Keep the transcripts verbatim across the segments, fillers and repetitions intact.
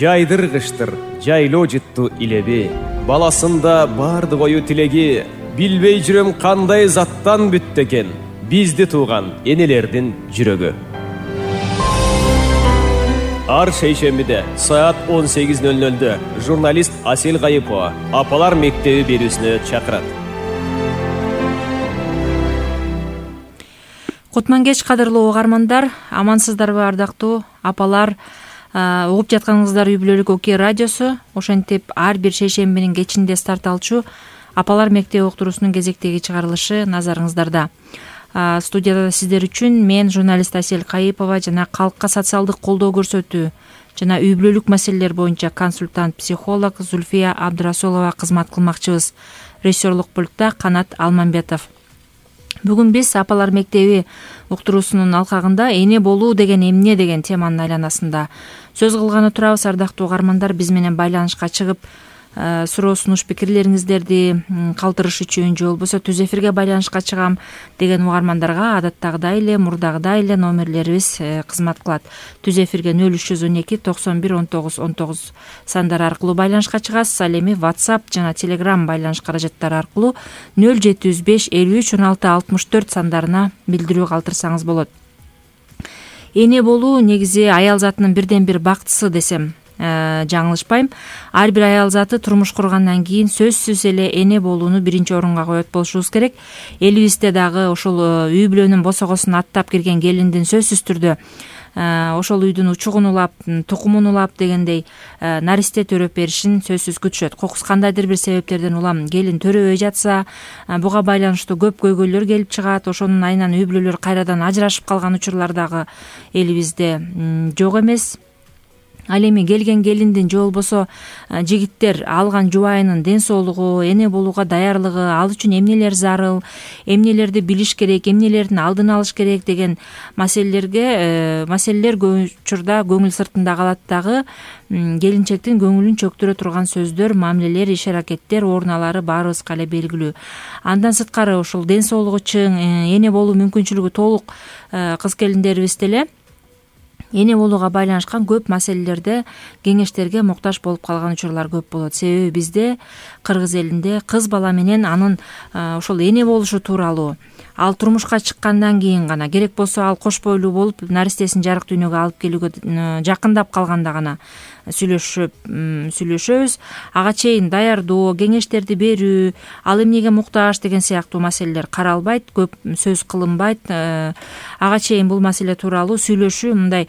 жайдыргычтыр жайлоо жытту илеби. Баласында барды кою тилеги, билбей жүрөм кандай заттан бүттү экен бизди тууган энелердин жүрөгү. Ар шейшембиде саат он сегиз ноль нольдө журналист Асел Кайыпова апалар мектеби берүүсүнө чакырат. Кутман кеч кадырлуу угармандар, амансыздарбы ардактуу апалар? Угуп жатканыңыздар үй бүлөлүк Оке радиосу. Ошентип ар бир шейшембинин кечинде старт алчу апалар мектеби уктуруусунун кезектеги чыгарылышы назарыңыздарда. Студияда сиздер үчүн мен журналист Асел Кайыпова жана калкка социалдык колдоо көрсөтүү жана үй бүлөлүк маселелер боюнча консультант психолог Зульфия Абдрасулова кызмат кылмакчыбыз. Режиссерлук пультта Канат Алмамбетов. Бүгүн биз апалар мектеби уктуруусунун алкагында эне болуу деген эмне деген теманын айланасында сөз кылганы турабыз. Ардактуу угармандар, биз менен байланышка чыгып суроо сунуш пикирлериңиздерди калтырыш үчүн же болбосо түз эфирге байланышка чыгам деген угармандарга адаттагыдай эле мурдагыдай эле номерлерибиз кызмат кылат. Түз эфирге нөл үч жүз он эки токсон бир он тогуз он тогуз сандары аркылуу байланышка чыгасыз. Ал эми WhatsApp жана Telegram байланыш каражаттары аркылуу нөл жети жүз беш элүү үч он алты алтымыш төрт сандарына билдирүү калтырсаңыз болот. Эне болуу негизи аял затынын бирден бир бактысы десем жаңылышпайм. Ар бир аял заты турмуш кургандан кийин сөзсүз эле эне болууну биринчи орунга коет болушубуз керек. Элибизде дагы ошол үй бүлөнүн босогосун аттап кирген келиндин сөзсүз түрдө ошол үйдүн учугун улап, тукумун улап дегендей наристе төрөп беришин сөзсүз күтүшөт. Кокус кандайдыр бир себептерден улам келин төрөбөй жатса, буга байланыштуу көп көйгөйлөр келип чыгат. Ошонун айынан үй бүлөлөр кайрадан ажырашып калган учурлар дагы элибизде жок эмес. Ал эми келген келиндин же болбосо жигиттер алган жубайынын ден соолугу, эне болууга даярдыгы, ал үчүн эмнелер зарыл, эмнелерди билиш керек, эмнелердин алдын алыш керек деген маселелерге маселелер көп учурда көңүл сыртында калат дагы. Келинчектин көңүлүн чөктүрө турган сөздөр, мамилелер, иш аракеттер, оруналары баарыбызга эле белгилүү. Андан сырткары ошол ден соолугу чың, эне болуу мүмкүнчүлүгү толук кыз келиндерибиз деле эне болууга байланышкан көп маселелерде кеңештерге муктаж болуп калган учурлар көп болот. Себеби бизде, кыргыз элинде, кыз бала менен анын ошол эне болушу тууралуу, ал турмушка чыккандан кийин гана, керек болсо ал кош бойлуу болуп наристесин жарык дүйнөгө алып келүүгө жакындап калганда гана сүйлөшүп сүйлөшөбүз. Ага чейин даярдоо, кеңештерди берүү, ал эмнеге муктаж деген сыяктуу маселелер каралбайт, көп сөз кылынбайт. Ага чейин бул маселе тууралуу сүйлөшүү мындай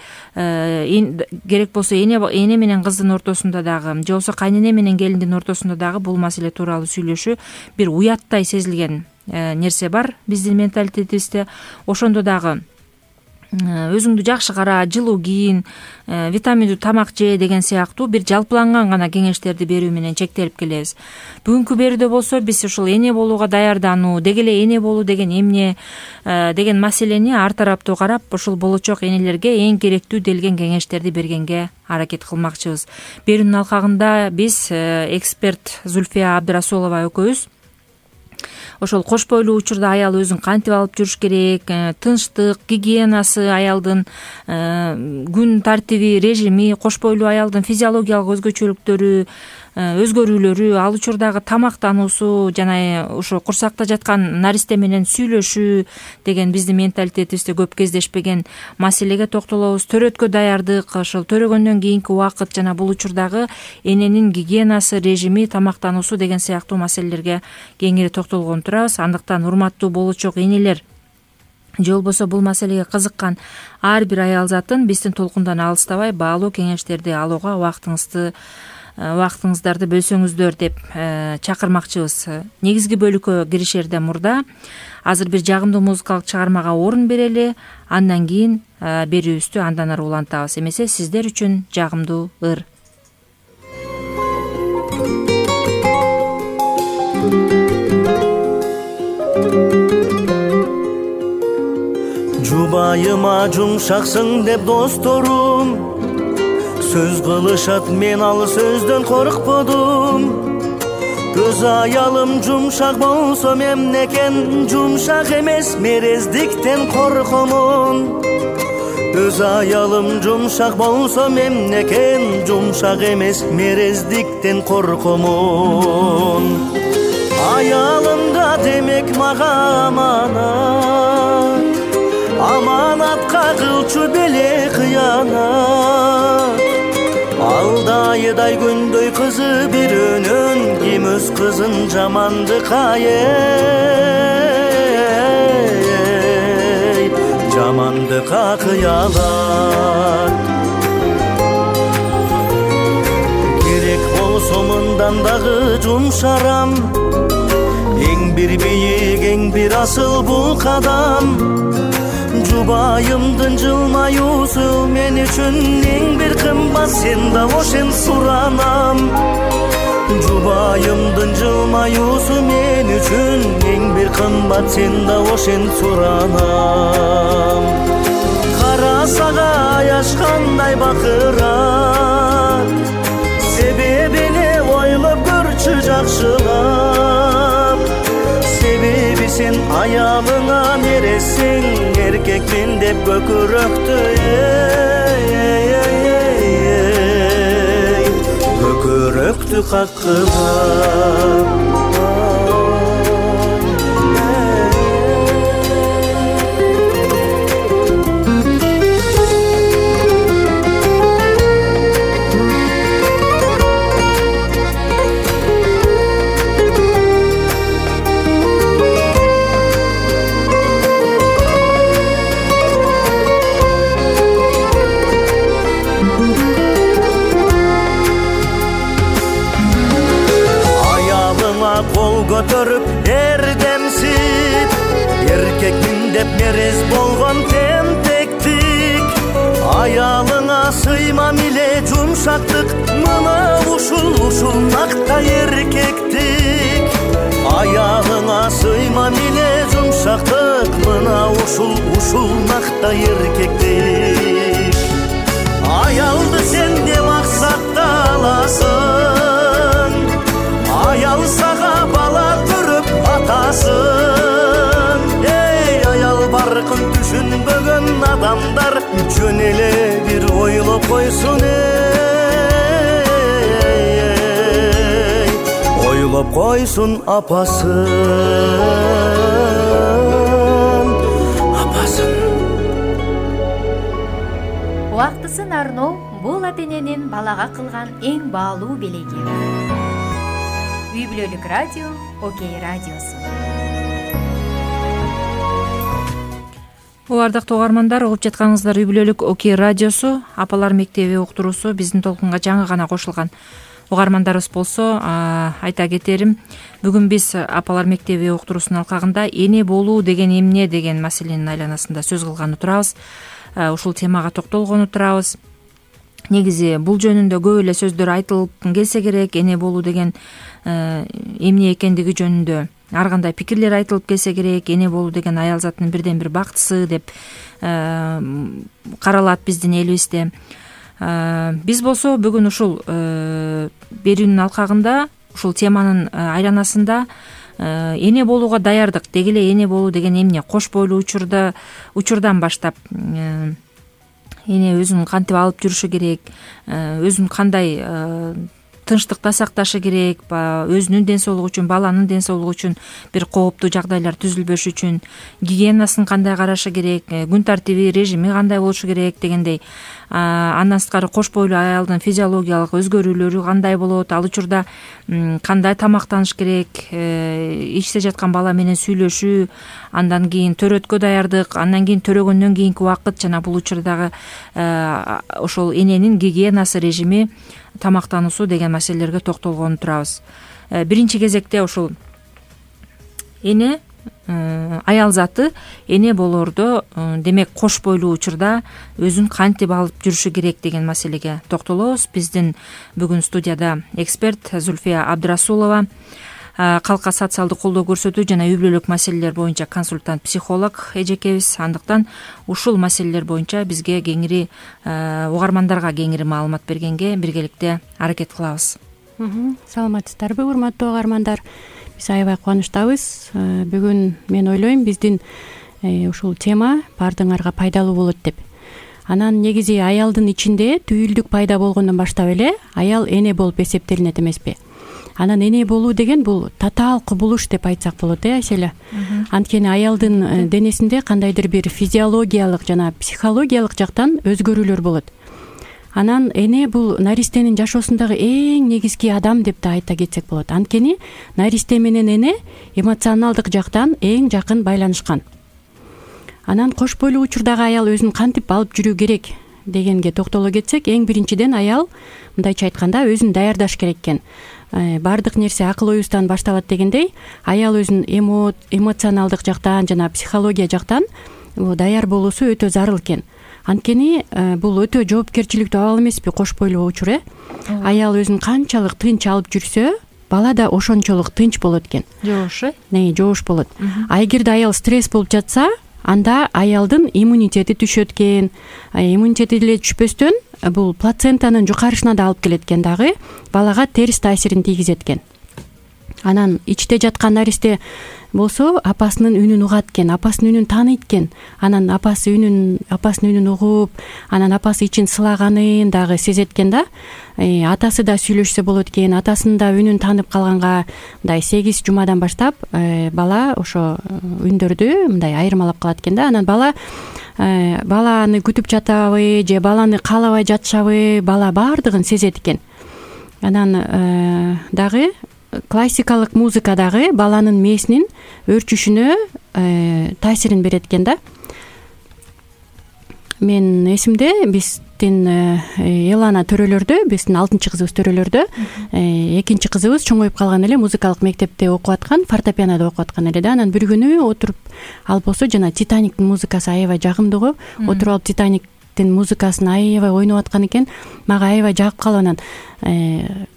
керек болсо эне эне менен кыздын ортосунда дагы, же болбосо кайнене менен келиндин ортосунда дагы бул маселе тууралуу сүйлөшүү бир уяттай сезилген нерсе бар биздин менталитетибизде. Ошондо дагы өзүңдү жакшы кара, жылуу кийин, витаминдүү тамак же деген сыяктуу бир жалпыланган гана кеңештерди берүү менен чектелип келебиз. Бүгүнкү берүүдө болсо биз ушул эне болууга даярдануу, деги эле эне болуу деген эмне деген маселени ар тараптуу карап, ушул болочок энелерге эң керектүү делген кеңештерди бергенге аракет кылмакчыбыз. Берүүнүн алкагында биз эксперт Зульфия Абдрасулова экөөбүз ошол кош бойлуу учурда аял өзүн кантип алып жүрүш керек, тынчтык, гигиенасы, аялдын күн тартиби, режими, кош бойлуу аялдын физиологиялык өзгөчөлүктөрү, өзгөрүүлөрү, ал учурдагы тамактануусу жана ошо курсакта жаткан наристе менен сүйлөшүү деген биздин менталитетибизде көп кездешпеген маселеге токтолобуз. Төрөткө даярдык, ошол төрөгөндөн кийинки убакыт жана бул учурдагы эненин гигиенасы, режими, тамактануусу деген сыяктуу маселелерге кеңири токтолгон турабыз. Андыктан урматтуу болочок энелер, же болбосо бул маселеге кызыккан ар бир аял затын биздин толкундан алыстабай баалуу кеңештерди алууга убактыңызды убактыңыздарды бөлсөңүздөр деп чакырмакчыбыз. Негизги бөлүккө киришерден мурда азыр бир жагымдуу музыкалык чыгармага орун берели, андан кийин берүүбүздү андан ары улантабыз. Эмесе сиздер үчүн жагымдуу ыр. Жубайыма жумшаксың деп досторум сөз кылышат, мен ал сөздөн коркподум. Көз аялым жумшак болсо эмнекен, жумшак эмес мерездиктен коркомун. өз аялым жумшак болсо мемнекен жумшак эмес мерездиктен коркомун аялымда демек мага аманат аманатка кылчу беле кыянат алда айдай күндөй кызы бирөөнөн ким өз кызын жамандыкка эй жамандыкка кыялат керек болсо мындан дагы жумшарам эң бир бийик эң бир асыл бул кадам жубайымдын жылмаюусу мен үчүн эң бир кымбат сен да ошен суранам жубайымдын жылмаюусу мен үчүн эң бир кымбат сен да ошен суранам кара сага аяш кандай бакырат себебине ойлоп көрчү жакшылап себеби сен аялыңа мересиң эркекмин деп көкүрөктү көкүрөктү каккылап кол көтөрүп эрдемсип эркекмин деп мерез болгон тентектик аялыңа сыймам эле жумшактык мына ушул ушул накта эркектик аялыңа сыймам эле жумшактык мына ушул ушул накта эркектик аялды сен де максатта аласың аял сага бала көрүп атасың эй аял баркын түшүнбөгөн адамдар жөн эле бир ойлоп койсун эй ойлоп койсун апасын апасын убактысын арноо бул ата эненин балага кылган эң баалуу белеги. Үй бүлөлүк радио Окей радиосу. Ардактуу угармандар, угуп жатканыңыздар Үй бүлөлүк Окей радиосу, апалар мектеби уктуруусу биздин толкунга жаңы гана кошулган угармандарыбыз болсо, айта кетерим, бүгүн биз апалар мектеби уктуруусунун алкагында эне болуу деген эмне деген маселенин айланасында сөз кылганы турабыз. Ушул темага токтолгону турабыз. Негизи бул жөнүндө көп эле сөздөр айтылып келсе керек, эне болуу деген эмне экендиги жөнүндө ар кандай пикирлер айтылып келсе керек, эне болуу деген аял затынын бирден бир бактысы деп каралат биздин элибизде. Биз болсо бүгүн ушул берүүнүн алкагында, ушул теманын айланасында эне болууга даярдык, деги эле эне болуу деген эмне, кош бойлуу учурда учурдан баштап эне өзүн кантип алып жүрүшү керек, өзүн кандай тынчтыкта сакташы керек, өзүнүн ден соолугу үчүн, баланын ден соолугу үчүн бир кооптуу жагдайлар түзүлбөш үчүн гигиенасын кандай карашы керек, күн тартиби, режими кандай болушу керек дегендей. Андан сырткары кош бойлуу аялдын физиологиялык өзгөрүүлөрү кандай болот, ал учурда кандай тамактаныш керек, ичте жаткан бала менен сүйлөшүү, андан кийин төрөткө даярдык, андан кийин төрөгөндөн кийинки убакыт, жана бул учурдагы ошол эненин гигиенасы, режими, тамактануусу деген маселелерге токтолгону турабыз. Биринчи кезекте ушул эне, аял заты эне болоордо, демек кош бойлуу учурда өзүн кантип алып жүрүшү керек деген маселеге токтолобуз. Биздин бүгүн студияда эксперт Зульфия Абдрасулова, калкка социалдык колдоо көрсөтүү жана үй бүлөлүк маселелер боюнча консультант психолог эжекебиз. Андыктан ушул маселелер боюнча бизге кеңири, угармандарга кеңири маалымат бергенге биргеликте аракет кылабыз. Саламатсыздарбы, урматтуу угармандар? Биз аябай кубанычтабыз. Бүгүн мен ойлойм биздин ушул тема баардыгыңарга пайдалуу болот деп. Анан негизи аялдын ичинде түйүлдүк пайда болгондон баштап эле аял эне болуп эсептелинет эмеспи. Анан эне болуу деген бул татаал кубулуш деп айтсак болот э Айселя. Анткени аялдын денесинде кандайдыр бир физиологиялык жана психологиялык жактан өзгөрүүлөр болот. Анан эне бул наристенин жашоосундагы эң негизги адам деп да айта кетсек болот. Анткени наристе менен эне эмоционалдык жактан эң жакын байланышкан. Анан кош бойлуу учурдагы аял өзүн кантип алып жүрүү керек дегенге токтоло кетсек, эң биринчиден аял мындайча айтканда өзүн даярдаш керек экен. Баардык нерсе акыл оюбуздан башталат дегендей, аял өзүн эмоционалдык жактан жана психология жактан даяр болуусу өтө зарыл экен. Анткени бул өтө жоопкерчиликтүү абал эмеспи кош бойлуу учур э? Аял өзүн канчалык тынч алып жүрсө, бала да ошончолук тынч болот экен. Жоош э? Не, жоош болот. А эгерде аял стресс болуп жатса, анда аялдын иммунитети түшөт экен. Иммунитети деле түшпөстөн бул плацентанын жукарышына да алып келет экен, дагы балага терс таасирин тийгизет экен. Анан ичте жаткан наристе болсо апасынын үнүн угат экен, апасынын үнүн тааныйт экен. Анан апасы үнүн апасынын үнүн угуп, анан апасы ичин сылаганын дагы сезет экен да. Э, атасы да сүйлөшсө болот экен, атасынын да үнүн таанып калганга мындай сегиз жумадан баштап э, бала ошо үндөрдү мындай айырмалап калат экен да. Анан бала э, баланы күтүп жатабы же баланы каалабай жатышабы, бала баардыгын сезет экен. Анан э, дагы классикалык музыка дагы баланын мээсинин өөрчүшүнө э, таасирин берет экен да. Мен эсимде биздин Элана төрөлөрдө, биздин алтынчы кызыбыз төрөлөрдө экинчи кызыбыз чоңоюп калган эле музыкалык мектепте окуп аткан, фортепианода окуп аткан эле да. Анан бир күнү отуруп алып болсо, жана Титаниктин музыкасы аябай жагымдуу го. Отуруп алып Титаниктин музыкасын аябай ойноп аткан экен. Мага аябай жагып калып, анан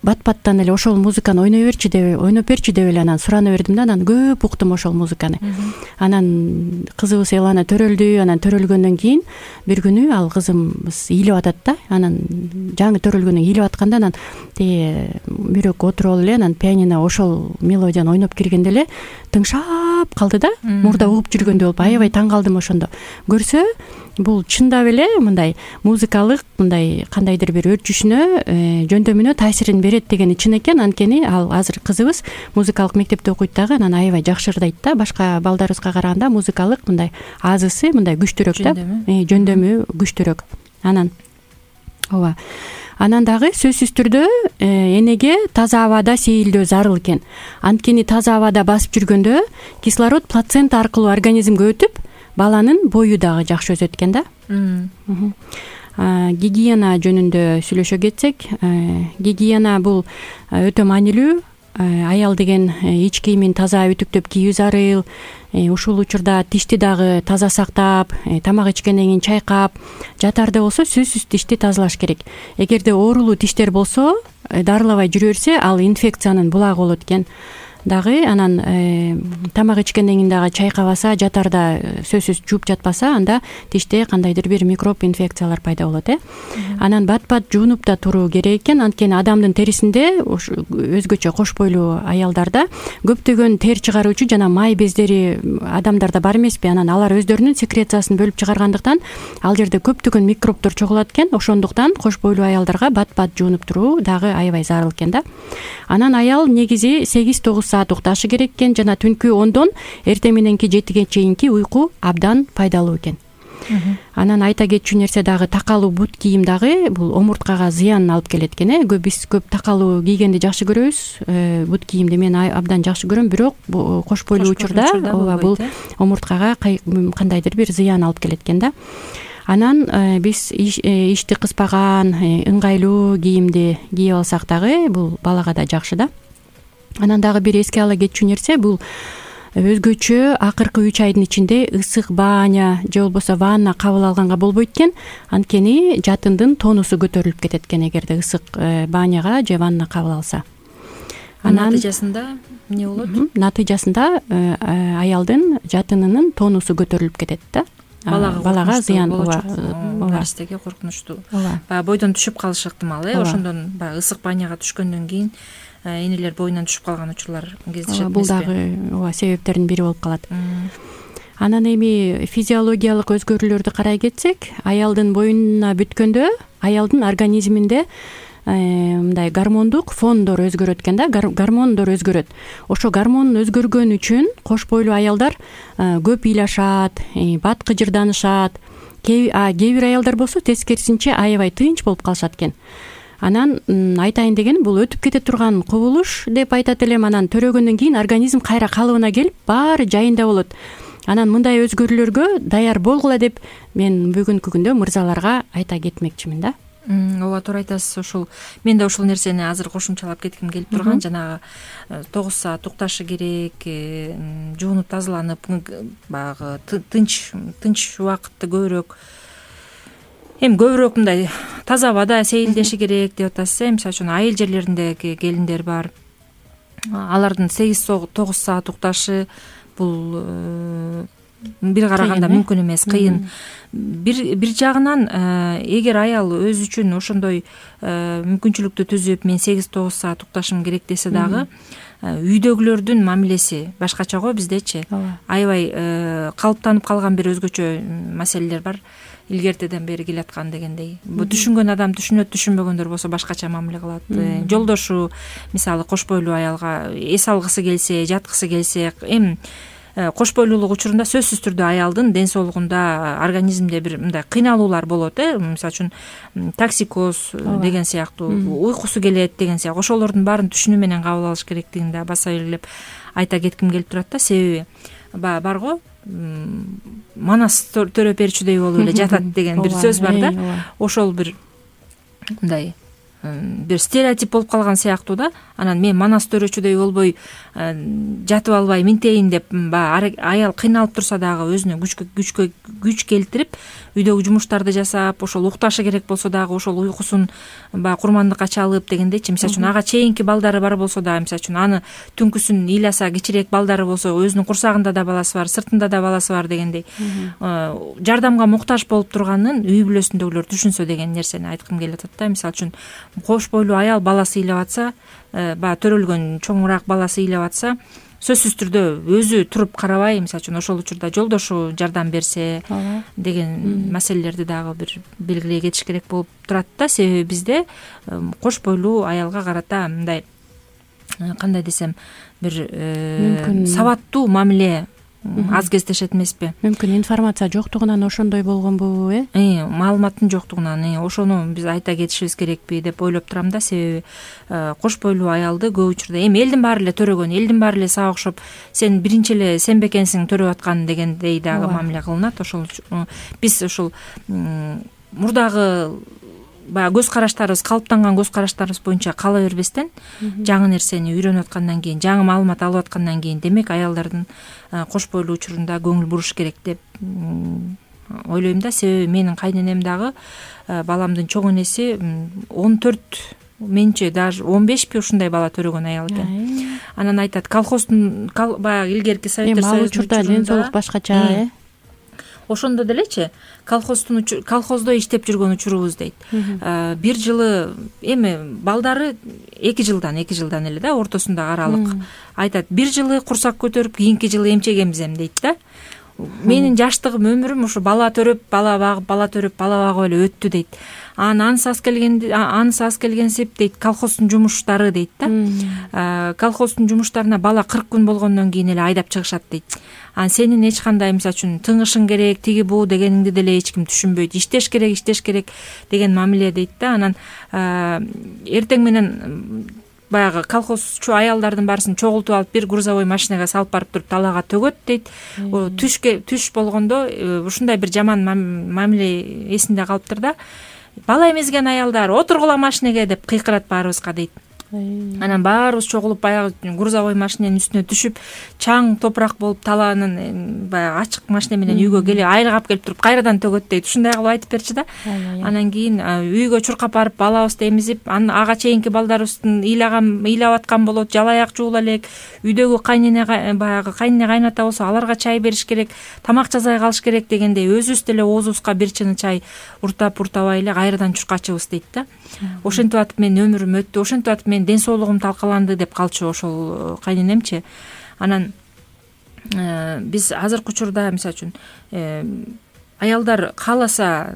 бат-баттан эле ошол музыканы ойной берчи деп, ойноп берчи деп эле анан сурана бердим да. Анан көп уктум ошол музыканы. Анан кызыбыз Элана төрөлдү. Анан төрөлгөндөн кийин бир күнү ал кызымыз ыйлап атат да. Анан жаңы төрөлгөндөн ыйлап атканда, анан тиги бирөк отуруп алып эле, анан пианино ошол мелодияны ойноп киргенде эле тыңшап калды да. Мурда угуп жүргөндөй болуп, аябай таң калдым ошондо. Көрсө, бул чындап эле мындай музыкалык мындай кандайдыр бир өөрчүшүнө, жөндөмүнө таасирин берет дегени чын экен. Анткени ал азыр кызыбыз музыкалык мектепте окуйт дагы, анан аябай жакшырдайт да. Башка балдарыбызга караганда музыкалык мындай азысы мындай күчтүүрөөк да, жөндөмү күчтүүрөөк. Анан ооба. Анан дагы сөзсүз түрдө энеге таза абада сейилдөө зарыл экен. Анткени таза абада басып жүргөндө кислород плацента аркылуу организмге өтүп, баланын бою дагы жакшы өсөт экен да. Гигиена жөнүндө сүйлөшө кетсек, гигиена бул өтө маанилүү. Аял деген ич кийимин таза ütүктөп кийүү зарыл. Ушул учурда тишти дагы таза сактап, тамак ичкенден кийин чайкап, жатарда болсо сөзсүз тишти тазалаш керек. Эгерде оорулуу тиштер болсо, дарылабай жүрө берсе, ал инфекциянын булагы болот экен. Дагы анан э, тамак ичкенден кийин дагы чайкабаса, жатарда сөзсүз жууп жатпаса, анда тиште кандайдыр бир микроб инфекциялар пайда болот э. Анан бат-бат жуунуп да туруу керек экен. Анткени адамдын терисинде, өзгөчө кош бойлуу аялдарда көптөгөн тер чыгаруучу жана май бездери адамдарда бар эмеспи? Анан алар өздөрүнүн секрециясын бөлүп чыгаргандыктан ал жерде көптөгөн микробдор чогулат экен. Ошондуктан кош бойлуу аялдарга бат-бат жуунуп туруу дагы аябай зарыл экен да. Анан аял негизи сегиз тогуз саат укташы керек экен, жана түнкү ондон эртең мененки жетиге чейинки уйку абдан пайдалуу экен. Анан айта кетчү нерсе дагы, такалуу бут кийим дагы бул омурткага зыянын алып келет экен э. Биз көп такалуу кийгенди жакшы көрөбүз, бут кийимди мен абдан жакшы көрөм, бирок кош бойлуу учурда ооба бул омурткага кандайдыр бир зыян алып келет экен да. Анан биз ишти кыспаган, ыңгайлуу кийимди кийип алсак дагы бул балага да жакшы да. Анан дагы бир эске ала кетчү нерсе, бул өзгөчө акыркы үч айдын ичинде ысык баня же болбосо ванна кабыл алганга болбойт экен. Анткени жатындын тонусу көтөрүлүп кетет экен эгерде ысык баняга же ванна кабыл алса. Анан натыйжасында эмне болот? Натыйжасында аялдын жатынынын тонусу көтөрүлүп кетет да. Балага зыян, ооба, наристеге коркунучтуу. Баягы бойдон түшүп калышы ыктымал э. Ошондон баягы ысык баняга түшкөндөн кийин энелер боюнан түшүп калган учурлар кездешет. Бул дагы ооба себептердин бири болуп калат. Анан эми физиологиялык өзгөрүүлөрдү карай кетсек, аялдын боюна бүткөндө аялдын организминде мындай гормондук фондор өзгөрөт экен да, гормондор өзгөрөт. Ошо гормон өзгөргөн үчүн кош бойлуу аялдар көп ыйлашат, бат кыжырданышат. Кээ бир аялдар болсо тескерисинче аябай тынч болуп калышат экен. Анан айтайын дегеним, бул өтүп кете турган кубулуш деп айтат элем. Анан төрөгөндөн кийин организм кайра калыбына келип, баары жайында болот. Анан мындай өзгөрүүлөргө даяр болгула деп мен бүгүнкү күндө мырзаларга айта кетмекчимин да. Ооба, туура айтасыз. Ошол мен да ушул нерсени азыр кошумчалап кетким келип турган. Жанагы тогуз саат укташы керек, жуунуп тазаланып, баягы тынч тынч убакытты көбүрөөк, эми көбүрөөк мындай таза абада сейилдеши керек деп атасыз. Мисалы үчүн айыл жерлериндеги келиндер бар. Алардын сегиз тогуз саат укташы бул бир караганда мүмкүн эмес, кыйын. Бир бир жагынан эгер аял өзү үчүн ошондой мүмкүнчүлүктү түзүп, мен сегиз тогуз саат укташым керек десе дагы, үйдөгүлөрдүн мамилеси башкача го. Биздечи аябай калыптанып калган бир өзгөчө маселелер бар. Илгертеден бери келаткан дегендей. Бу түшүнгөн адам түшүнөт, түшүнбөгөндөр болсо башкача мамиле кылат. Жолдошу мисалы кош бойлуу аялга эс алгысы келсе, жаткысы келсе, эми кош бойлуулук учурунда сөзсүз түрдө аялдын ден соолугунда, организмде бир мындай кыйналуулар болот, э мисалы үчүн токсикоз деген сыяктуу, уйкусу келет деген сыяктуу. Ошолордун баарын түшүнүү менен кабыл алыш керектигин да баса элеп айта кетким келип турат да. Себеби баягы барго манас төрөп берчүдөй болуп эле жатат деген бир сөз бар да. Ошол бир мындай бир стереотип болуп калган сыяктуу да. Анан мен манас төрөчүдөй болбой жатып албай минтейин деп баягы аял кыйналып турса дагы өзүнө күчкө күчкө күч келтирип үйдөгү жумуштарды жасап, ошол укташы керек болсо дагы ошол уйкусун баягы курмандыкка чалып дегендейчи. Мисалы үчүн ага чейинки балдары бар болсо дагы, мисалы үчүн аны түнкүсүн ыйласа, кичирээк балдары болсо өзүнүн курсагында да баласы бар, сыртында да баласы бар дегендей жардамга муктаж болуп турганын үй бүлөсүндөгүлөр түшүнсө деген нерсени айткым келип атат да. Мисалы үчүн кош бойлуу аял баласы ыйлап атса, баягы төрөлгөн чоңураак баласы ыйлап атса, сөзсүз түрдө өзү туруп карабай, мисалы үчүн ошол учурда жолдошу жардам берсе деген маселелерди дагы бир белгилей кетиш керек болуп турат да. Себеби бизде кош бойлуу аялга карата мындай, кандай десем, бир сабаттуу мамиле аз кездешет эмеспи? Мүмкүн информация жоктугунан ошондой болгонбу, э? Э, маалыматтын жоктугунан, э, ошону биз айта кетишибиз керекпи деп ойлоп турам да. Себеби кош бойлуу аялды көп учурда эми элдин баары эле төрөгөн, элдин баары эле сага окшоп, сен биринчи эле сен бекенсиң төрөп аткан дегендей дагы мамиле кылынат. Ошол биз ошол мурдагы баягы көз караштарыбыз, калыптанган көз караштарыбыз боюнча кала бербестен, жаңы нерсени үйрөнүп аткандан кийин, жаңы маалымат алып аткандан кийин, демек аялдардын кош бойлуу учурунда көңүл буруш керек деп ойлойм да. Себеби менин кайненем дагы баламдын чоң энеси он төрт, менче даже он бешпи ушундай бала төрөгөн аял экен. Анан айтат, колхоздун баягы илгерки Советтер Союзунун учурда ден соолук башкача, э? Ошондо делечи колхоздун колхоздо иштеп жүргөн учурубуз дейт. Бир жылы эми балдары эки жылдан эки жылдан эле да, ортосундагы аралык. Айтат, бир жылы курсак көтөрүп, кийинки жылы эмчегенбиз эми дейт да. Менин жаштыгым, өмүрүм ушу бала төрөп, бала багып, бала төрөп, бала багып эле өттү дейт. Анан анысы аз келгенди, анысы аз келгенсип дейт, колхоздун жумуштары дейт да. Колхоздун жумуштарына бала кырк күн болгондон кийин эле айдап чыгышат дейт. Анан сенин эч кандай, мисалы үчүн, тыңышың керек, тиги бу дегениңди деле эч ким түшүнбөйт. Иштеш керек, иштеш керек деген мамиле дейт да. Анан эртең менен баягы колхозчу аялдардын баарысын чогултуп алып, бир грузовой машинага салып барып туруп талаага төгөт дейт. Түшкө түш болгондо ушундай бир жаман мамиле эсинде калыптыр да. Бала эмизген аялдар, отургула машинеге деп кыйкырат баарыбызга дейт. Анан баарыбыз чогулуп баягы грузовой машиненин үстүнө түшүп, чаң топурак болуп талаанын баягы ачык машина менен үйгө келип, айргап келип туруп кайрадан төгөт дейт. Ушундай кылып айтып берчи да. Анан кийин үйгө чуркап барып балабызды эмизип, анан ага чейинки балдарыбыздын ыйлаган, ыйлап аткан болот, жалаяк жуула элек. Үйдөгү кайнене баягы кайнене кайната болсо аларга чай бериш керек, тамак жасай калыш керек дегендей өзүбүз деле оозубузга бир чыны чай уртап уртабай эле кайрадан чуркачыбыз дейт да. Ошентип атып менин өмүрүм өттү, ошентип атып мен ден соолугум талкаланды деп калчу ошол кайненемчи. Анан биз азыркы учурда мисалы үчүн аялдар кааласа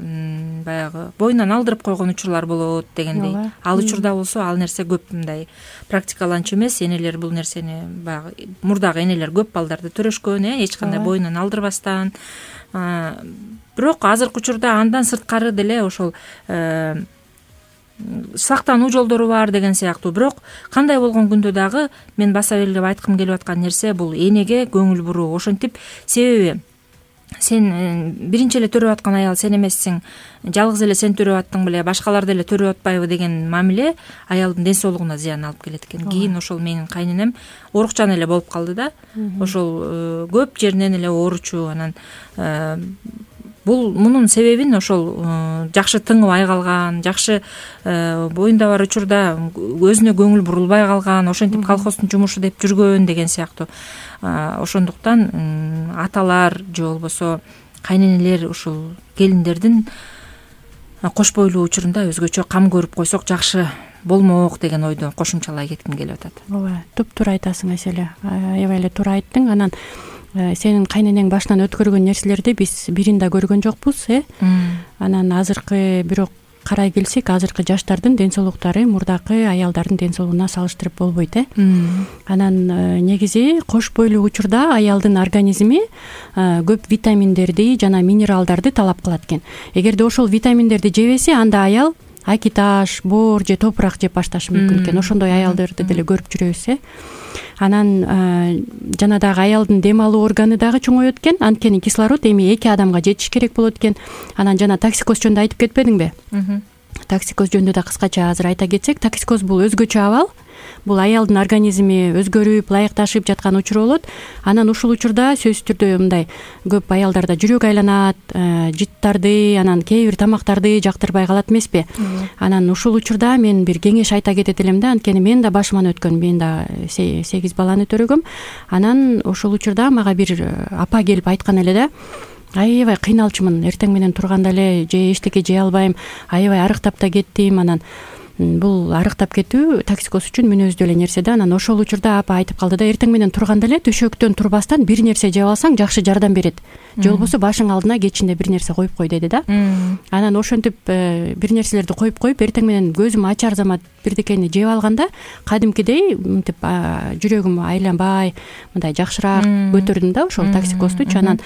баягы боюнан алдырып койгон учурлар болот дегендей. Ал учурда болсо ал нерсе көп мындай практикаланчу эмес. Энелер бул нерсени баягы мурдагы энелер көп балдарды төрөшкөн, э, эч кандай боюнан алдырбастан. Бирок азыркы учурда андан сырткары деле ошол сактануу жолдору бар деген сыяктуу. Бирок кандай болгон күндө дагы мен баса белгилеп айткым келип аткан нерсе бул энеге көңүл буруу. Ошентип себеби сен биринчи эле төрөп аткан аял сен эмессиң, жалгыз эле сен төрөп аттың беле, башкалар деле төрөп атпайбы деген мамиле аялдын ден соолугуна зыян алып келет экен. Кийин ошол менин кайненем оорукчан эле болуп калды да. Ошол көп жеринен эле ооручу. Анан бул мунун себебин ошол жакшы тыңыбай калган, жакшы боюнда бар учурда өзүнө көңүл бурулбай калган, ошентип колхоздун жумушу деп жүргөн деген сыяктуу. Ошондуктан аталар же болбосо кайненелер ушул келиндердин кош бойлуу учурунда өзгөчө кам көрүп койсок жакшы болмок деген ойду кошумчалай кетким келип атат. Ооба, туптуура айтасың Аселе. Аябай эле туура айттың. Анан сенин кайненең башынан өткөргөн нерселерди биз бирин да көргөн жокпуз, э? Анан азыркы бирок карай келсек, азыркы жаштардын ден соолуктары мурдакы аялдардын ден соолугуна салыштырып болбойт, э? Анан негизи кош бойлуу учурда аялдын организми көп витаминдерди жана минералдарды талап кылат экен. Эгерде ошол витаминдерди жебесе, анда аял аки таш, боор же топурак жеп башташы мүмкүн экен. Ошондой аялдарды деле көрүп жүрөбүз, э? Анан жана дагы аялдын дем алуу органы дагы чоңоет экен. Анткени кислород эми эки адамга жетиш керек болот экен. Анан жана токсикоз жөнүндө айтып кетпедиңби? Токсикоз жөнүндө да кыскача азыр айта кетсек, токсикоз бул өзгөчө абал. Бул аялдын организми өзгөрүп, ылайыкташып жаткан учур болот. Анан ушул учурда сөзсүз түрдө мындай көп аялдарда жүрөк айланат, жыттарды, анан кээ бир тамактарды жактырбай калат эмеспи? Анан ушул учурда мен бир кеңеш айта кетет элем да, анткени мен да башыман өткөн, мен да сегиз баланы төрөгөм. Анан ушул учурда мага бир апа келип айткан эле да, аябай кыйналчумун, эртең менен турганда эле же эчтеке жей албайм, аябай арыктап да кеттим. Анан бул арыктап кетүү токсикоз үчүн мүнөздүү эле нерсе да. Анан ошол учурда апа айтып калды да, эртең менен турганда эле төшөктөн турбастан бир нерсе жеп алсаң жакшы жардам берет. Же болбосо башың алдына кечинде бир нерсе коюп кой деди да. Анан ошентип бир нерселерди коюп коюп эртең менен көзүм ачар замат бирдекени жеп алганда кадимкидей мынтип жүрөгүм айланбай мындай жакшыраак көтөрдүм да ошол токсикоздучу. Анан